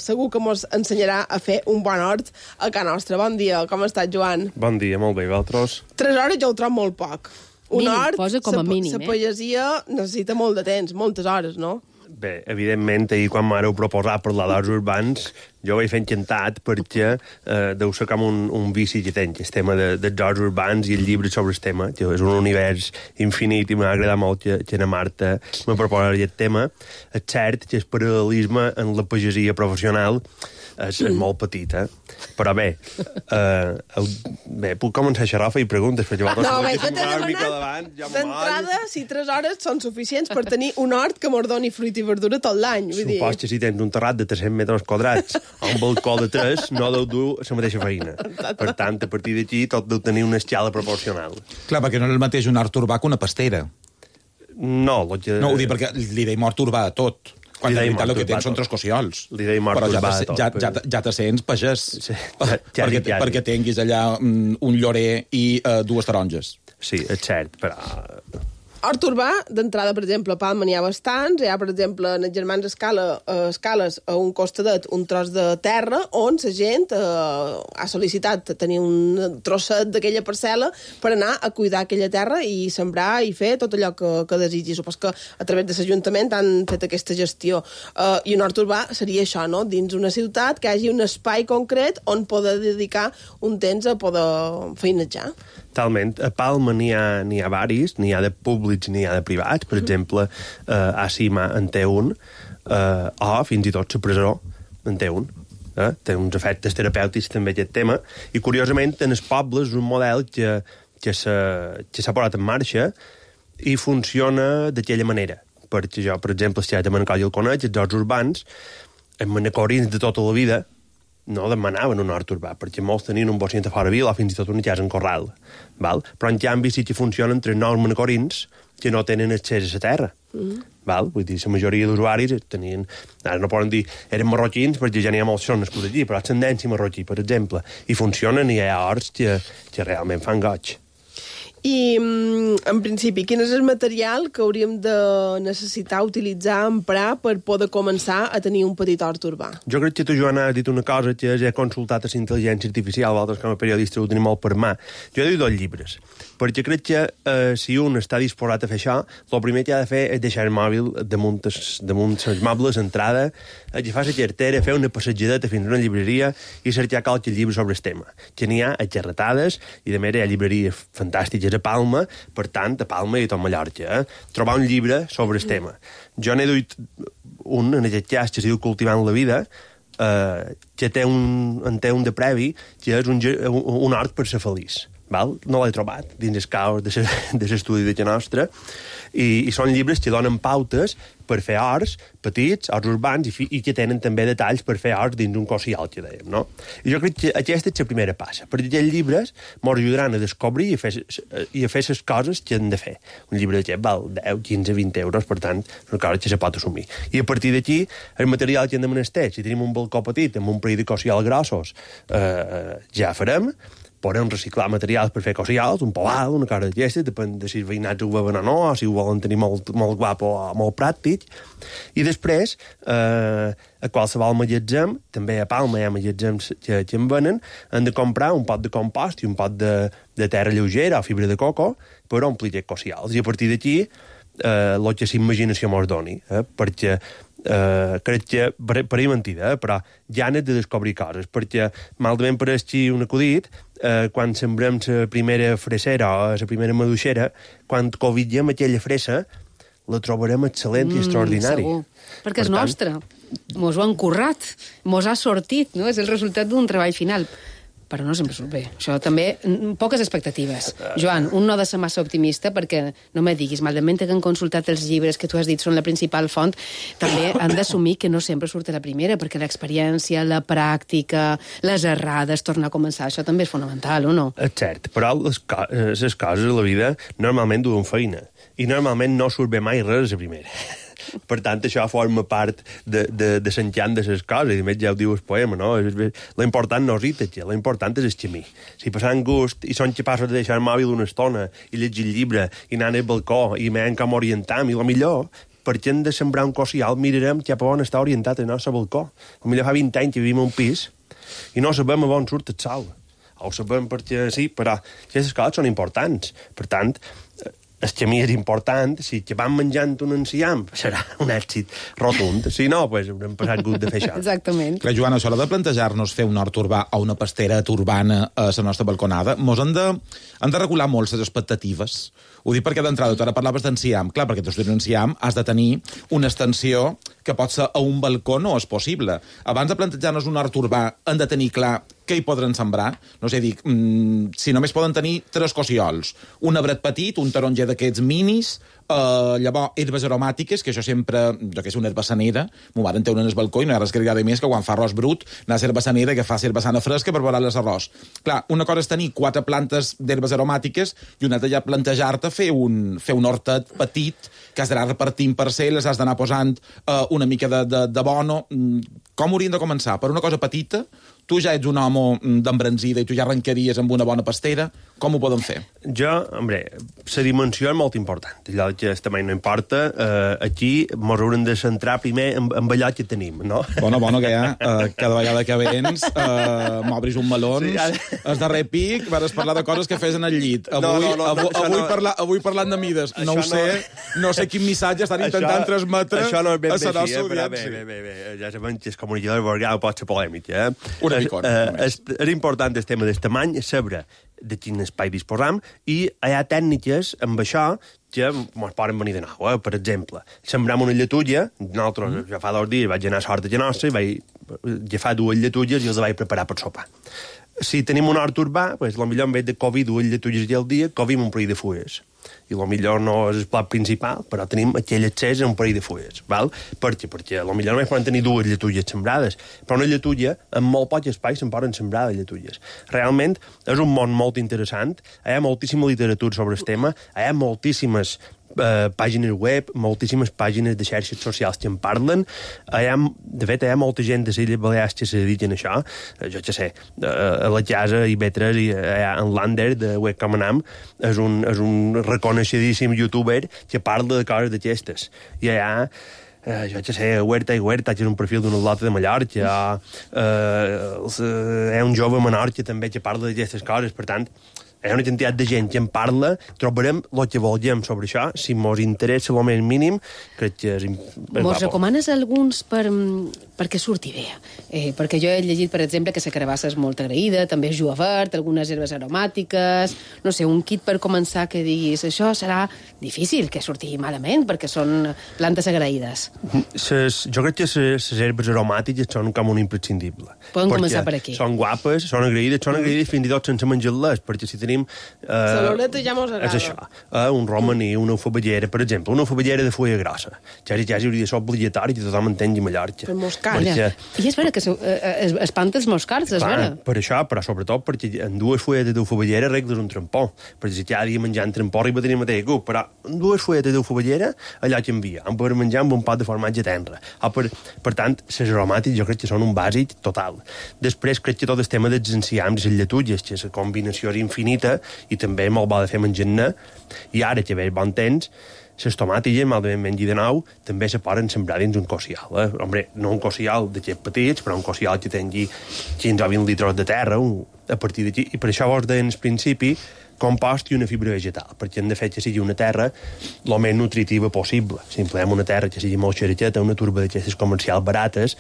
segur que ens ensenyarà a fer un bon hort a casa nostra. Bon dia, com estàs, Joan? Bon dia, molt bé, vosaltres? 3 hores jo ho trobo molt poc. Un hort, posa com a mínim, la pagesia necessita molt de temps, moltes hores, no? Bé, evidentment, ahir quan m'heu proposat parlar d'horts urbans, jo vaig fer encantat perquè deu ser com un vici que tenc, el tema dels horts urbans i el llibre sobre el tema, que és un univers infinit i m'ha agradat molt que la Marta me proposa aquest tema. És cert que el paral·lelisme en la pagesia professional és molt petit, però bé, puc començar a xerrar i preguntes, perquè d'entrada, si 3 hores són suficients per tenir un hort que mos doni fruit i verdura tot l'any. Supos que si tens un terrat de 300 metres quadrats o un balcó de 3, no deu dur la mateixa feina. Per tant, a partir d'aquí tot deu tenir una escala proporcional. Clar, perquè no és el mateix un hort urbà que una pastera. No, ho dic perquè li deim hort urbà a tot. Quan de veritat el que tens són 3 cossiols. Però ja te sents pagès. Perquè tinguis allà un llorer i 2 taronges. Sí, és cert, però... Hort urbà, d'entrada, per exemple, a Palma n'hi ha bastants. Hi ha, per exemple, en els Germans Escales, a un costadet, un tros de terra on la gent ha sol·licitat tenir un trosset d'aquella parcel·la per anar a cuidar aquella terra i sembrar i fer tot allò que desitgi. Supos que a través de l'Ajuntament han fet aquesta gestió. I un hort urbà seria això, no? Dins una ciutat que hi hagi un espai concret on poder dedicar un temps a poder feinejar. Totalment. A Palma n'hi ha varis, n'hi ha de públics, n'hi ha de privats. Per exemple, a Cima en té un, o fins i tot la presó en té un. Té uns efectes terapèutics també aquest tema. I curiosament, en els pobles és un model que s'ha posat en marxa i funciona d'aquella manera. Perquè jo, per exemple, estic a Manacor i el conec, els horts urbans, els manacorins de tota la vida, no demanaven un hort urbà, perquè molts tenien un bocint a fora vila o fins i tot una casa en corral. Val? Però en canvi sí que funcionen 3 nous manacorins que no tenen accés a la terra. Val? Vull dir, la majoria d'usuaris tenien... Ara no poden dir eren marroquins perquè ja n'hi ha molts que són nascuts allí, però ascendència marroquí, per exemple. I funcionen i hi ha horts que realment fan goig. I, en principi, quin és el material que hauríem de necessitar utilitzar, emprar, per poder començar a tenir un petit hort urbà? Jo crec que tu, Joana, has dit una cosa que he consultat a la intel·ligència artificial, vosaltres com a periodistes ho tenim molt per mà. Jo he dit 2 llibres, perquè crec que si un està disposat a fer això, el primer que ha de fer és deixar el mòbil damunt els mobles, entrada, agafar la cartera, fer una passejadeta fins a una llibreria i cercar qualque llibre sobre el tema. Que n'hi ha a xerratades i, de més, hi ha llibreries fantàstiques a Palma, per tant, a Palma i a tot Mallorca. Trobar un llibre sobre el tema. Jo n'he duit un, en aquest cas, que es diu Cultivant la vida, que té un de previ, que és un hort per ser feliç. Val? No l'he trobat dins el caos de l'estudi de la nostra, i són llibres que donen pautes per fer horts petits, horts urbans, i que tenen també detalls per fer horts dins un cosial, que dèiem, no? I jo crec que aquesta és la primera passa, perquè aquests llibres ens ajudaran a descobrir i a fer les coses que hem de fer. Un llibre d'aquest val 10, 15, 20 euros, per tant, una cosa que se pot assumir. I a partir d'aquí, el material que hem de menester, si tenim un balcó petit amb un parell de cosials grossos, ja farem. Podem reciclar materials per fer cosials, un poal, una cosa d'aquesta, depèn de si els veïnats ho veuen o no, o si ho volen tenir molt guapo o molt pràctic. I després, a qualsevol magatzem, també a Palma hi ha magatzems que en venen, han de comprar un pot de compost i un pot de terra lleugera o fibra de coco per omplir aquests cosials. I a partir d'aquí, el que s'imaginació mos doni, perquè crec que, per mentida, però ja n'he de descobrir coses, perquè malament per així un acudit, quan sembrem la primera fresera o la primera maduixera, quan covitgem aquella fresa, la trobarem excel·lent i extraordinari. Segur, perquè és nostra. Mos ho han currat, mos ha sortit, no? És el resultat d'un treball final. però no sempre surt bé. Això també, poques expectatives. Joan, un no ha de ser massa optimista perquè, no me diguis, malament que han consultat els llibres que tu has dit són la principal font, també han d'assumir que no sempre surt a la primera, perquè l'experiència, la pràctica, les errades, tornar a començar, això també és fonamental, o no? És cert, però les coses a la vida normalment duen feina, i normalment no surt bé mai res a la primera. Per tant, això forma part de l'enxant de les coses, i a més ja ho diu el poema, no? L'important no és ir-te, l'important és el camí. Si passant gust i són capaços de deixar el mòbil una estona i llegir el llibre i anar al balcó i veiem com orientam, i el millor, perquè hem de sembrar un cosial, mirarem cap a on està orientat el nostre balcó. Potser fa 20 anys que vivim a un pis i no sabem a on surt el sol. O ho sabem perquè sí, però aquestes coses són importants. Per tant, el camí és important, si que vam menjant un enciam serà un èxit rotund, si no, doncs haurem passat gust de fer això. Exactament. Clar, Joana, això de plantejar-nos fer un hort urbà o una pastera urbana a la nostra balconada, mos han de regular molt les expectatives. Ho dic perquè d'entrada, tu ara parlaves d'enciam. Clar, perquè tu un enciam has de tenir una extensió que pot ser a un balcó no és possible. Abans de plantejar-nos un hort urbà hem de tenir clar què hi podran sembrar. No sé, dic, si només poden tenir 3 cossiols, un arbret petit, un taronger d'aquests minis, llavors herbes aromàtiques, que això sempre, jo que sé, una herbassanera, m'ho varen treure en el balcó i no hi ha res que li agrada més que quan fa arròs brut, anar a ser herbassanera que fa herbassana fresca per veure l'arròs. Clar, una cosa és tenir 4 plantes d'herbes aromàtiques i una altra ja plantejar-te fer un hortet petit que has d'anar repartint parcel·les, has d'anar posant una mica d'abono. Com hauríem de començar? Per una cosa petita? Tu ja ets un home d'embranzida i tu ja arrencaries amb una bona pastera. Com ho podem fer? Jo, hombre, la dimensió és molt important. Allò que el tamany no importa. Aquí ens haurem de centrar primer en allò que tenim, no? Bueno, que ja, cada vegada que vens, m'obris un melons, sí, el darrer pic, vas parlar de coses que fes en el llit. Avui parlant de mides. No sé quin missatge estan intentant transmetre a la nostra audiència. Bé, ja sabem que el comunicador verbal pot ser polèmic, és important el tema del tamany, saber de quin espai disposam, i hi ha tècniques amb això que ens poden venir de nou. Per exemple, sembram una lletulla, nosaltres ja fa 2 dies vaig anar a Sort de Nostra i vaig agafar 2 lletulles i els vaig preparar per sopar. Si tenim un hort urbà, doncs potser en vez de cobir 2 lletulles al dia, cobim un parell de fulles. I potser no és el plat principal, però tenim aquell accés a un parell de fulles. Val? Perquè potser només poden tenir 2 lletulles sembrades, però una lletulla, en molt poc espai, se'n poden sembrar de lletulles. Realment, és un món molt interessant, hi ha moltíssima literatura sobre el tema, hi ha moltíssimes pàgines web, moltíssimes pàgines de xarxes socials que en parlen. De fet, hi ha molta gent de les Illes Balears que se dediquen a això. Jo què sé, a la casa Ivetres i en Lander, de Webcam Anam, és un reconeixedíssim youtuber que parla de coses d'aquestes. I hi ha jo què sé, Huerta i Huerta, que és un perfil d'una lota de Mallorca, hi ha un jove a Menorca també que parla d'aquestes coses, per tant, hi ha una quantitat de gent que en parla, trobarem el que volguem sobre això, si mos interessa el més mínim, crec que és mos recomanes alguns perquè surti bé? Perquè jo he llegit, per exemple, que la carabassa és molt agraïda, també és julivert, algunes herbes aromàtiques, no sé, un kit per començar que diguis, això serà difícil que surti malament, perquè són plantes agraïdes. Jo crec que les herbes aromàtiques són com un imprescindible. Podem començar per aquí. Són guapes, són agraïdes fins i tot sense menjar-les, perquè si tenim Saloneta ja mos agrada. És això, un romaní, una ufabellera, per exemple, una ufabellera de fulla grossa. Ja hauria de ser obligatori que tothom entengui Mallorca. Per moscar. I és vera que espanta els moscards, és vera. Per això, però sobretot perquè en 2 fulletes d'ufabellera regles un trampó. Perquè si cada dia menjant trampó arriba a tenir mateix gust, però en 2 fulletes d'ufabellera allò canvia. En poder menjar amb un pot de formatge tenra. Per tant, les aromàtiques jo crec que són un bàsic total. Després crec que tot el tema dels enciams i les lletulles, que la combinació és infinita i també molt bo de fer menjar-ne, i ara que ve bon temps, les tomàtiques, malament mengi de nou, també se poden sembrar dins un cocial. Hombre, no un cocial d'aquests petits, però un cocial que tingui 15 o 20 litres de terra, a partir d'aquí. I per això vos deien al principi compost i una fibra vegetal, perquè hem de fer que sigui una terra el més nutritiva possible. Si empleem una terra que sigui molt xerxeta, una turba d'aquestes comercials barates,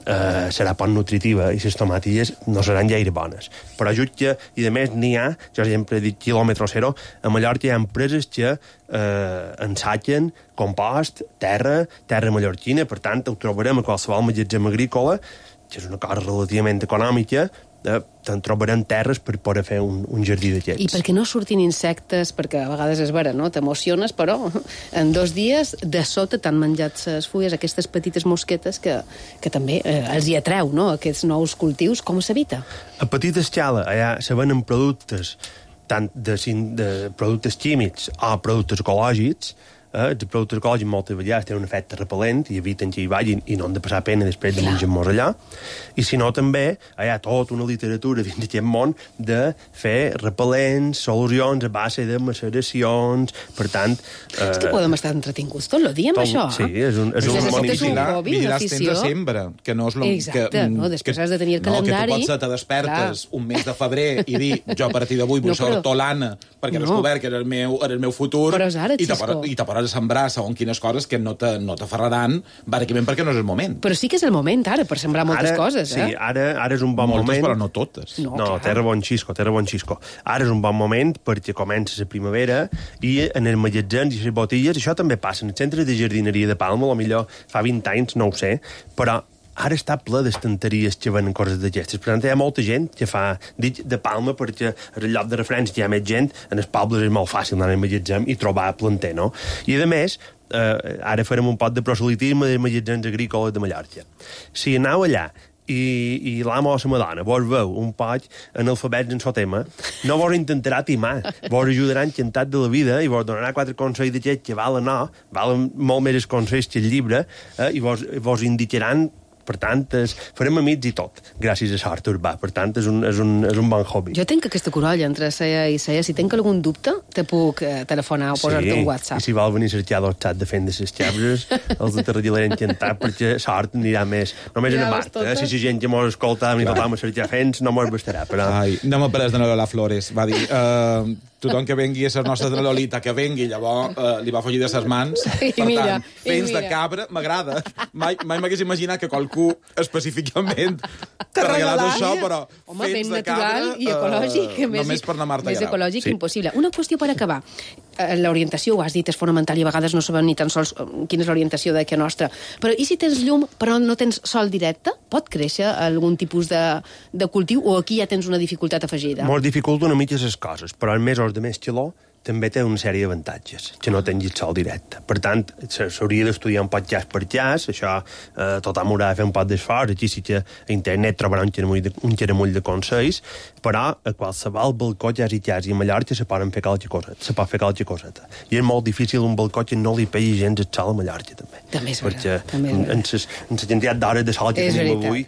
serà poc nutritiva i les tomàtilles no seran gaire bones. Però jutge, i a més n'hi ha, jo sempre he dit quilòmetre zero, a Mallorca hi ha empreses que ensatgen compost, terra mallorquina, per tant ho trobarem a qualsevol magatzem agrícola, que és una cosa relativament econòmica, te'n trobarem terres per poder fer un jardí d'aquests. I perquè no surtin insectes, perquè a vegades és vera, no? T'emociones, però en 2 dies de sota t'han menjat les fulles, aquestes petites mosquetes que també els hi atreu, no?, aquests nous cultius. Com s'evita? A petita escala, allà se venen productes, tant de productes químics o productes ecològics. Els productes ecològics moltes vegades tenen un efecte repel·lent i eviten que hi vagin i no han de passar pena després de menjar-nos allà. I si no, també hi ha tota una literatura dins d'aquest món de fer repel·lents, solucions a base de maceracions, per tant... És que podem estar entretinguts tot el dia amb això. Sí, és un hobby, una afició. Sempre, que no és... Exacte, no? Després has de tenir el calendari. Que tu pots te despertes un mes de febrer i dir, jo a partir d'avui vull ser hortolana perquè he descobert que era el meu futur, i te a sembrar segons quines coses que no t'aferraran bàsicament perquè no és el moment. Però sí que és el moment, ara, per sembrar moltes coses, Sí, ara és un bon moment. Moltes, però no totes. No, terra bon xisco. Ara és un bon moment perquè comença la primavera i en els magatzems i les botilles, això també passa. En els centres de jardineria de Palma, potser fa 20 anys, no ho sé, però ara està ple d'estanteries que venen coses d'aquestes. Per tant, hi ha molta gent que fa... Dic de Palma perquè és el lloc de referència, hi ha més gent, en els pobles és molt fàcil anar al magatzem i trobar planter, no? I, a més, ara farem un pot de proselitisme dels magatzems agrícoles de Mallorca. Si aneu allà i l'amo o la madona vos veu un poc analfabets en el tema, no vos intentarà timar, vos ajudarà encantat de la vida i vos donarà 4 consells d'aquests que valen molt més els consells que el llibre, i vos indicaran. Per tant, farem amics i tot, gràcies a Sort Urbà. Per tant, és un bon hobby. Jo tenc aquesta corolla entre ceia i ceia. Si tenc algun dubte, te puc telefonar o posar-te un WhatsApp. I si vol venir a cercar el xat de fent de les xabres, els de Tarradelera encantat, perquè Sort anirà més... Només en Marta, si la gent que mos escolta i tothom a cercar fents, no mos bastarà. Ai, no m'ha pres de Lola Flores. Va dir... tothom que vengui a ser nostra de Lolita, que vengui, llavors li va fugir de ses mans. Per tant, fents de cabra m'agrada. Mai m'hagués imaginat que qualcú específicament t'ha regalat això, però fents de cabra... i ecològic. Només per anar a Marta Grau. Més ecològic impossible. Una qüestió per acabar. L'orientació, ho has dit, és fonamental i a vegades no sabem ni tan sols quina és l'orientació de que nostra. Però i si tens llum però no tens sol directe? Pot créixer algun tipus de cultiu o aquí ja tens una dificultat afegida? Mos dificulta una mica les coses, però en mesos de més calor també té una sèrie d'avantatges, que no tinguis sol directe. Per tant, s'hauria d'estudiar un poc jas per jas, això tothom haurà de fer un poc d'esforç, aquí sí que a internet trobarà un xeramull de consells, però a qualsevol balcó jas i a Mallorca se pot fer qualque coseta. I és molt difícil un balcó que no li pegui gens el sol a Mallorca, també. També és veritat. Perquè en la quantitat d'hores de sol que tenim avui...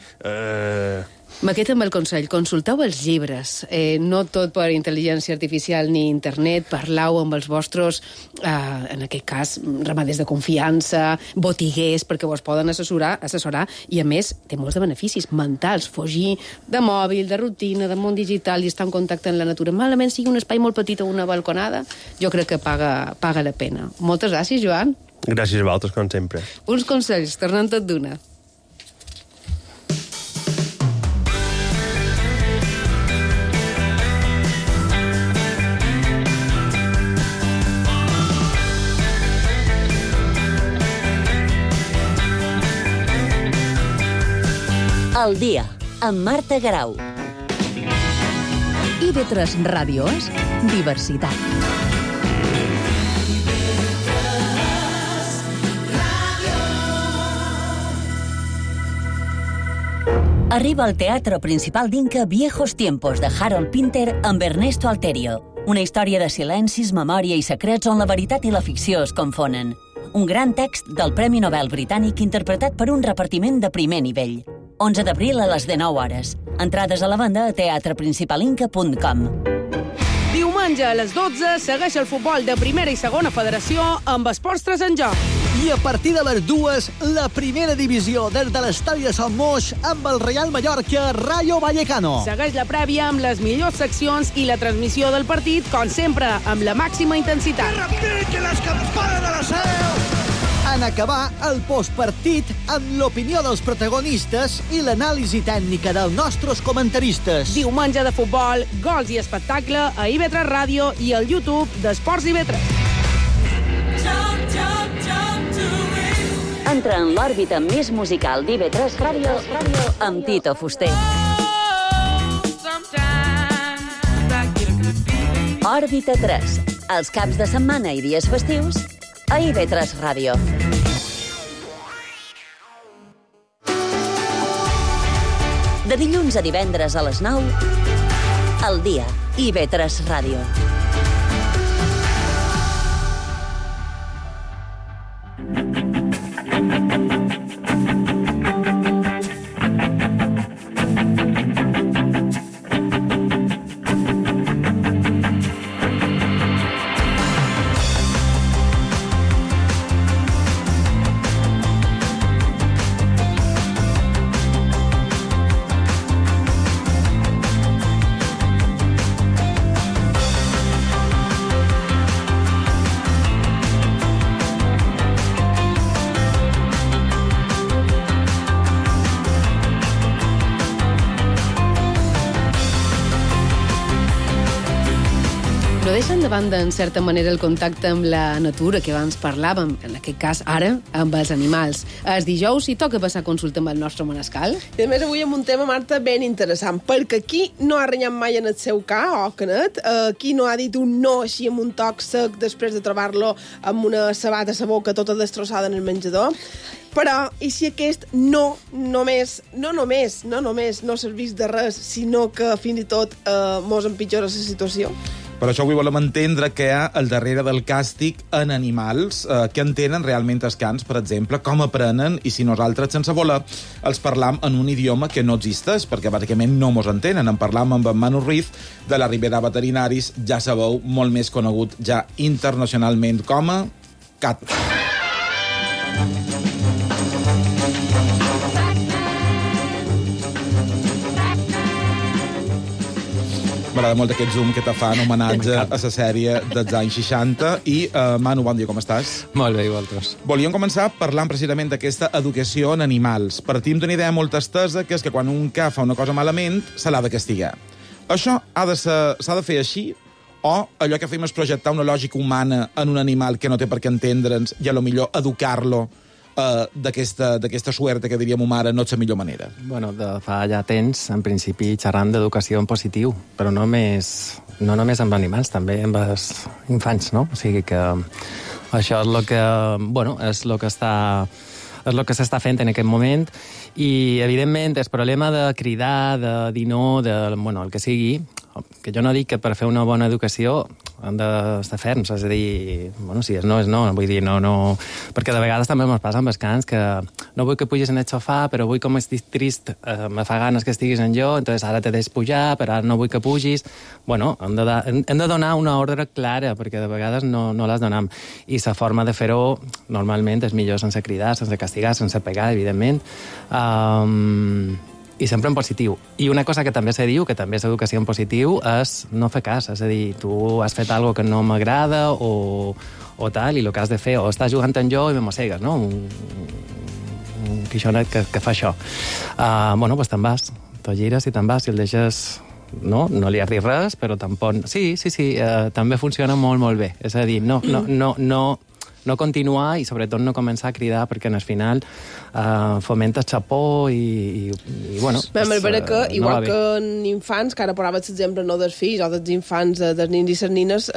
M'aquest amb el consell, consulteu els llibres, no tot per intel·ligència artificial ni internet, parlau amb els vostres, en aquest cas, ramaders de confiança, botiguers, perquè vos poden assessorar, i a més té molts de beneficis mentals, fugir de mòbil, de rutina, de món digital i estar en contacte amb la natura. Malament sigui un espai molt petit o una balconada, jo crec que paga la pena. Moltes gràcies, Joan. Gràcies a vosaltres, com sempre. Uns consells, tornant tot d'una. El dia, amb Marta Grau. IB3 Ràdio és diversitat. Arriba al Teatre Principal d'Inca Viejos Tiempos de Harold Pinter amb Ernesto Alterio. Una història de silencis, memòria i secrets on la veritat i la ficció es confonen. Un gran text del Premi Nobel britànic interpretat per un repartiment de primer nivell. 11 d'abril a les 19 hores. Entrades a la venda a teatreprincipalinca.com. Diumenge a les 12 segueix el futbol de primera i segona federació amb Esports 3 en joc. I a partir de les 2, la primera divisió des de l'estadi de Sant Moix amb el Real Mallorca Rayo Vallecano. Segueix la prèvia amb les millors seccions i la transmissió del partit, com sempre, amb la màxima intensitat. Que repiquen les campanes de la seu! En acabar el postpartit amb l'opinió dels protagonistes i l'anàlisi tècnica dels nostres comentaristes. Diumenge de futbol, gols i espectacle a IB3 Ràdio i al YouTube d'Esports IB3. Entra en l'òrbita més musical d'IB3 Ràdio amb Tito Fuster. Òrbita 3, els caps de setmana i dies festius, a IB3 Ràdio. De dilluns a divendres a les 9, al dia, IB3 Ràdio. No deixen de banda, en certa manera, el contacte amb la natura que abans parlàvem, en aquest cas, ara, amb els animals. Els dijous hi toca passar consulta amb el nostre Manescal. I a més avui amb un tema, Marta, ben interessant, perquè qui no ha renyat mai en el seu ca, o canet, qui no ha dit un no així amb un toc sec després de trobar-lo amb una sabata a la boca tota destrossada en el menjador. Però, i si aquest no només no servís de res, sinó que fins i tot mos empitjora la situació? Per això avui volem entendre què hi ha al darrere del càstig en animals, què entenen realment els cans, per exemple, com aprenen, i si nosaltres, sense voler, els parlam en un idioma que no existeix, perquè bàsicament no mos entenen. En parlam amb en Manu Ruiz, de la Ribera Veterinaris, ja sabeu, molt més conegut ja internacionalment com a CAT. M'agrada molt aquest zoom que te fa en homenatge a la sèrie dels anys 60. I, Manu, bon dia, com estàs? Molt bé, i vosaltres. Volíem començar parlant precisament d'aquesta educació en animals. Partim d'una idea molt estesa, que és que quan un ca fa una cosa malament, se l'ha de castigar. Això s'ha de fer així? O allò que fem és projectar una lògica humana en un animal que no té per què entendre'ns i a lo millor educar-lo d'aquesta suerte que diríem mare no és la millor manera? Bueno, de fa ja temps, en principi, xerrant d'educació en positiu, però no només amb animals, també amb els infants, no? O sigui que això és el que, bueno, és el que s'està fent en aquest moment i, evidentment, el problema de cridar, de dir no, bueno, el que sigui, que jo no dic que per fer una bona educació han d'estar ferms, és a dir, bueno, si és no, vull dir, no, perquè de vegades també m'ho passa amb els cans que no vull que pugis en el sofà, però vull com estic trist, me fa ganes que estiguis en jo, entonces ara te deixo pujar, però ara no vull que pugis. Bueno, hem de donar una ordre clara, perquè de vegades no les donem. I la forma de fer-ho, normalment, és millor sense cridar, sense castigar, sense pegar, evidentment. I sempre en positiu. I una cosa que també se diu, que també és educació en positiu, és no fer cas. És a dir, tu has fet alguna que no m'agrada o tal, i el que has de fer, o estàs jugant amb jo i me mossegues, no? Un quixonet que fa això. Bueno, doncs te'n vas. Te gires i te'n vas, i el deixes... No li has dit res, però tampoc... Sí, també funciona molt, molt bé. És a dir, no continuar i sobretot no començar a cridar perquè al final fomenta xapó i bueno... Vam veure que, igual que en infants, que ara parlaves l'exemple no dels fills o dels infants, dels nins i les nines,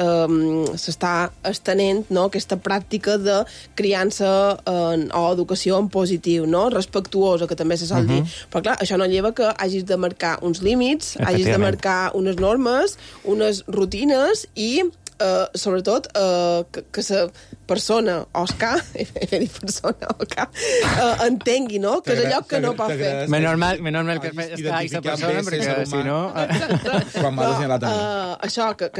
s'està estenent, no?, aquesta pràctica de criança o educació en positiu, no?, respectuosa, que també se sol dir. Però clar, això no lleva que hagis de marcar uns límits, hagis de marcar unes normes, unes rutines i sobretot que la persona o el ca, he dit persona o ca, entengui, no?, que és allò que no pot fer. Menys mal que està aquesta persona, perquè si no... Això, que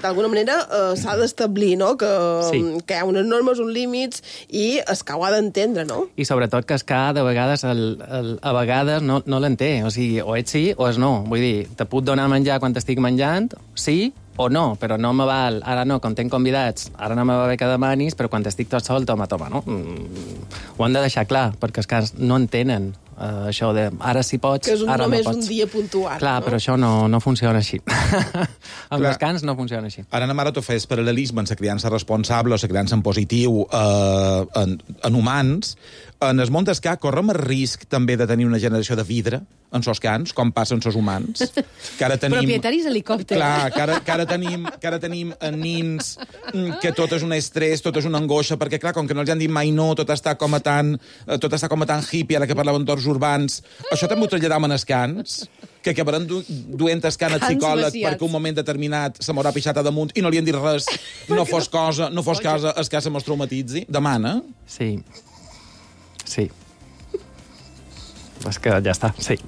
d'alguna manera s'ha d'establir, no?, que hi ha unes normes, uns límits, i el ca ho ha d'entendre, no? I sobretot que el ca, de vegades, a vegades no l'entén. O sigui, o ets sí o és no. Vull dir, te puc donar menjar quan t'estic menjant, sí o no, però no me val, ara no, quan tenc convidats, ara no me va bé que demanis, però quan estic tot sol, toma, no? Ho han de deixar clar, perquè els cans no entenen això de ara sí pots, ara no pots. Que és només un dia puntual. Clar, però això no funciona així. Amb els cans no funciona així. Ara, Mara, tu fes paral·lelisme en la criança responsable o la criança en positiu en humans. en el món d'escà correm el risc també de tenir una generació de vidre en sos cans, com passa en sos humans. Que ara tenim... Propietaris helicòpter. Clar, que ara tenim nins que tot és un estrès, tot és una angoixa, perquè, clar, com que no els han dit mai no, tot està com a tan hippie, ara que parlem d'entorns urbans. Això també ho traslladam en escans, que acabaran duent escan al psicòleg perquè un moment determinat se m'haurà pixat a damunt i no li han dit res, no fos cosa, es que se mos traumatitzi. Demana. Sí. És que ja està, sí.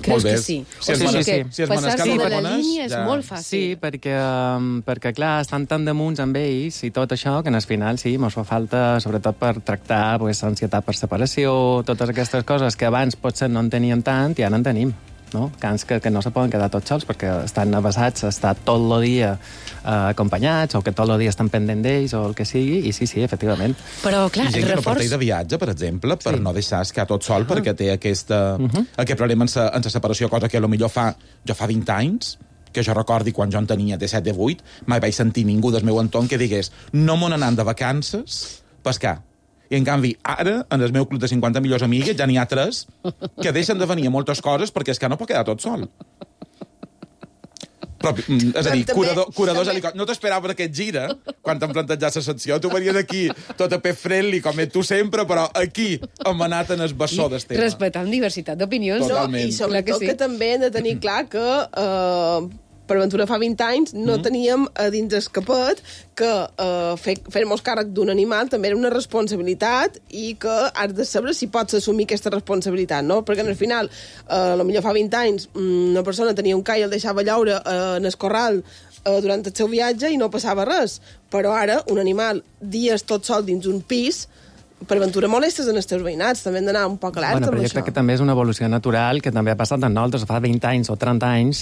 Creus que sí? Si passar-se de la línia és molt fàcil. Sí, perquè clar, estan tan damunt amb ells i tot això, que al final sí, mos fa falta, sobretot per tractar ansietat per separació, totes aquestes coses que abans potser no en teníem tant i ara en tenim. No? Cans que no se poden quedar tots sols perquè estan avasats a estar tot el dia acompanyats o que tot el dia estan pendent d'ells o el que sigui, i sí, efectivament. Però, clar, i gent que no parteix de viatge, per exemple, per no deixar escar tot sol perquè té aquest problema en la separació, cosa que potser jo fa 20 anys, que jo recordi quan jo en tenia 17 o 18, mai vaig sentir ningú del meu entorn que digués no m'on anant de vacances pescar. I, en canvi, ara, en el meu club de 50 millors amigues, ja n'hi ha 3 que deixen de venir a moltes coses perquè és que no pot quedar tot sol. Però, és a dir, curadors helicòpters. No t'esperava per aquest gira, quan t'han plantejat la secció. Tu venies aquí, tot a pet friendly, com tu sempre, però aquí hem anat en el bessó del tema. Respectant diversitat d'opinions. I sobretot que també hem de tenir clar que... Per aventura fa 20 anys no teníem a dins el capet que fer-nos càrrec d'un animal també era una responsabilitat i que has de saber si pots assumir aquesta responsabilitat, no? Perquè al final, potser fa 20 anys, una persona tenia un ca i el deixava llaure en el corral durant el seu viatge i no passava res. Però ara, un animal, dies tot sol dins un pis, per aventura molestes en els teus veïnats, també hem d'anar un poc alerta amb això. Jo crec que també és una evolució natural que també ha passat en nosaltres. Fa 20 anys o 30 anys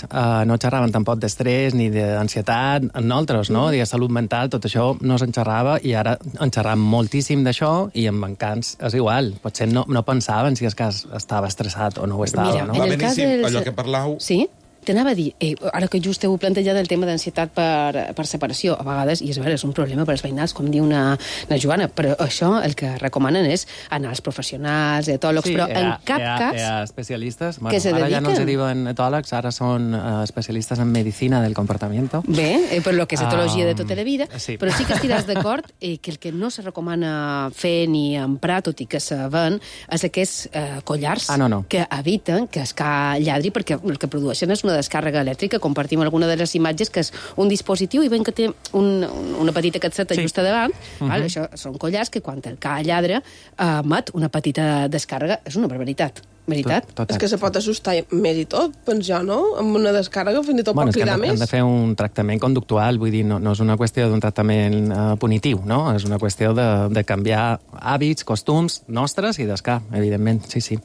no xerraven tampoc d'estrès ni d'ansietat en nosaltres, no? De salut mental, tot això no se'n xerrava i ara en xerram moltíssim d'això i amb encants és igual. Potser no pensaven si el cas estava estressat o no ho estava, mira, no? En el cas allò que parlau... Sí? T'anava a dir, ara que just heu plantejat el tema d'ansietat per separació, a vegades, i és un problema per als veïnals, com diu una Joana, però això el que recomanen és anar als professionals, etòlegs, però en cap cas... Hi ha especialistes, que se dediquen. Ara ja no se diuen etòlegs, ara són especialistes en medicina del comportamiento. Bé, per lo que és etologia de tota la vida, sí. Però sí que estiràs d'acord que el que no se recomana fer ni emprar, tot i que se ven, és aquests collars que eviten que es lladri, perquè el que produeixen és una descàrrega elèctrica. Compartim alguna de les imatges, que és un dispositiu i ben que té una petita capseta just a davant. Això són collars que quan el ca lladra emet una petita descàrrega. És una barbaritat. Veritat? És que se pot assustar més i tot, doncs jo, no? Amb una descàrrega fins i tot pot cridar més. Hem de fer un tractament conductual, vull dir, no és una qüestió d'un tractament punitiu, no? És una qüestió de canviar hàbits, costums nostres i d'escar, evidentment, sí.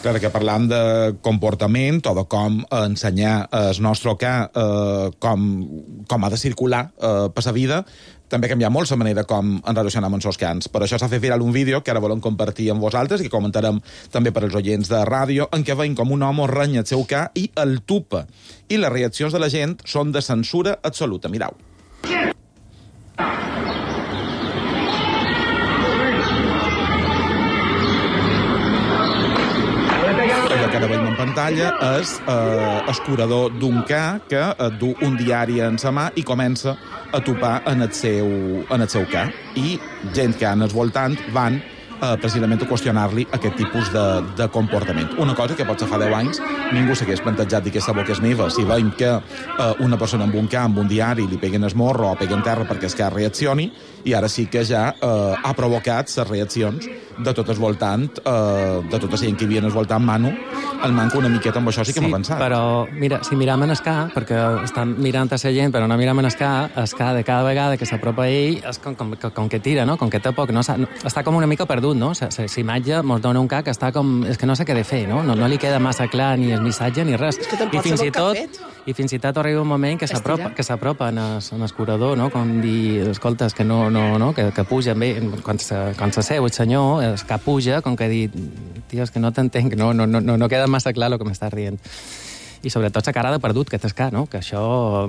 Clar, que parlam de comportament o de com ensenyar el nostre ca com ha de circular per la vida, també canviar molt la manera com ens relacionem amb els cans. Per això s'ha fet viral un vídeo que ara volem compartir amb vosaltres i que comentarem també per als oients de ràdio, en què veiem com un home renya el seu ca i el tupa. I les reaccions de la gent són de censura absoluta. Mirau. Allò que ara veiem en pantalla és el curador d'un ca que du un diari en sa mà i comença a topar en el seu ca. I gent que en el voltant van precisament a qüestionar-li aquest tipus de comportament. Una cosa que potser fa 10 anys ningú s'hagués plantejat dir que aquesta boca és meva. Si veiem que una persona amb un ca, amb un diari, li peguen el morro o peguen terra perquè el ca reaccioni, i ara sí que ja ha provocat les reaccions de tot el voltant, de tota la gent que hi havia al voltant Manu, el manco una miqueta amb això sí que m'ha pensat. Sí, però mira, si miram en el ca, perquè estan mirant a la gent, però no miram en el ca de cada vegada que s'apropa a ell, és com que tira, no? Com que té poc, no? Està com una mica perdut, no? La imatge mos dona un ca que està com... És que no sé què de fer, no? No li queda massa clar ni el missatge ni res. És que tampoc sap el que ha fet. I fins i tot arriba un moment que s'apropa en el curador, no? Com dir, escolta, que que puja bé, quan se seu el senyor, el cap puja, com que dir, tio, és que no t'entenc, no queda massa clar el que m'estàs rient. I sobretot la cara de perdut que t'escà, no? Que això,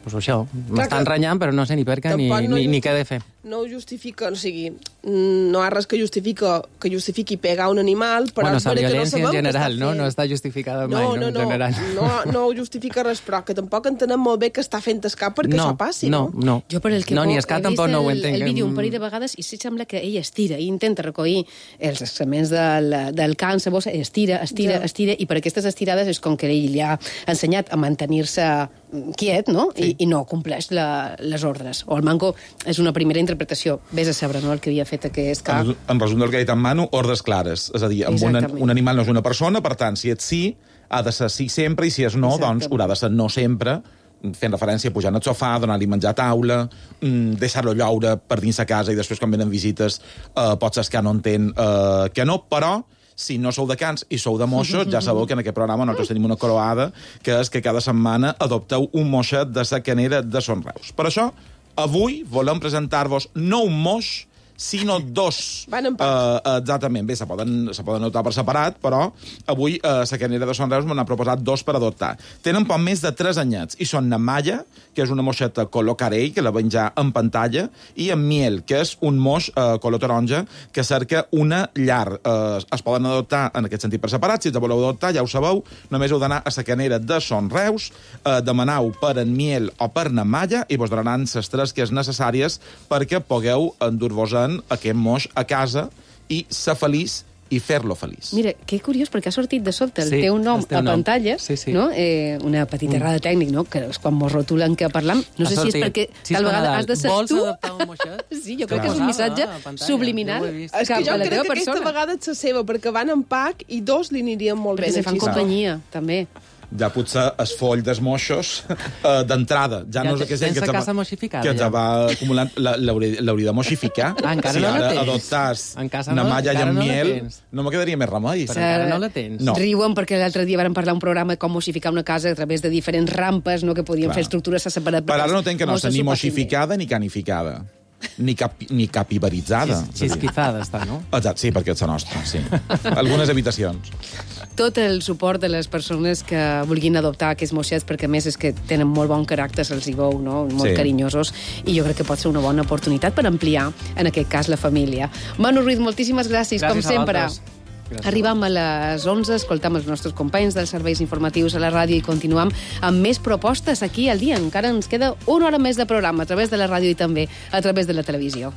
pues això, m'està enrenyant, però no sé ni per què ni què he de fer. No ho justifica, o sigui, no hi ha res que justifiqui pegar un animal, però bueno, és vera que no sabem en general, no? No està justificada mai, no? En general. No ho justifica res, però que tampoc entenem molt bé que està fent escap perquè això passi, no? No. Jo per el que ni escap tampoc no ho entenc. El vídeo un parell de vegades i sí sembla que ell estira i intenta recollir els excrements del can, la bossa, estira, i per aquestes estirades és com que ell li ha ensenyat a mantenir-se quiet, no? Sí. I no compleix les ordres. O el manco és una primera interpretació. Vés a saber, no?, el que havia fet aquest cap. En resum del que ha dit en Manu, ordres clares. És a dir, un animal no és una persona, per tant, si ets sí, ha de ser sí sempre, i si és no, doncs haurà de ser no sempre, fent referència a pujar al sofà, donar-li menjar a taula, deixar-lo lloure per dins la casa i després, quan venen visites, potser que no entén que no, però si no sou de cans i sou de moixos, ja sabeu que en aquest programa nosaltres tenim una croada, que és que cada setmana adopteu un moixet de la canera de Son Reus. Per això, avui volem presentar-vos no un moix, sinó dos. Van en pack. Exactament. Bé, se poden anotar per separat, però avui la canera de Son Reus m'ha proposat dos per adoptar. Tenen poc més de 3 anyets, i són na Malla, que és una moixeta color carell, que la veig ja en pantalla, i en Miel, que és un moix color taronja, que cerca una llar. Es poden adoptar en aquest sentit per separat. Si els voleu adoptar, ja ho sabeu, només heu d'anar a la canera de Son Reus, demaneu per en Miel o per na Malla, i vos donaran les 3 que és necessàries perquè pugueu endur-vos-en aquest moix a casa i ser feliç i fer-lo feliç. Mira, que curiós, perquè ha sortit de sobte el teu nom a pantalla, no? Una petita errada tècnic, no? Que és quan mos rotulen que parlam. No sé si és perquè tal vegada has de ser tu. Vols adoptar un moixet? Sí, jo crec que és un missatge subliminal cap a la teva persona. Jo crec que aquesta vegada és la seva, perquè van en pack i dos li anirien molt bé. Perquè se fan companyia, també. Ja potser es foll dels moixos d'entrada. Ja no és que sense casa moixificada. Que ja va acumulant. L'hauria de moixificar. Encara no la tens. Si ara adoptàs na Malla i en Miel, no me quedaria més remei. Però encara no la tens. Riuen perquè l'altre dia vam parlar un programa de com moixificar una casa a través de diferents rampes, no, que podien fer estructures separades. Per ara no tenc que no ser ni moixificada ni canificada. Ni capibaritzada. Xisquizada està, no? Exacte, sí, perquè és la nostra, sí. Algunes habitacions. Tot el suport de les persones que vulguin adoptar aquests moixets, perquè a més és que tenen molt bon caràcter, se'ls hi veu, no? Molt carinyosos, i jo crec que pot ser una bona oportunitat per ampliar, en aquest cas, la família. Manu Ruiz, moltíssimes gràcies com sempre. Arribam a les 11, escoltam els nostres companys dels serveis informatius a la ràdio i continuam amb més propostes aquí al dia. Encara ens queda una hora més de programa a través de la ràdio i també a través de la televisió.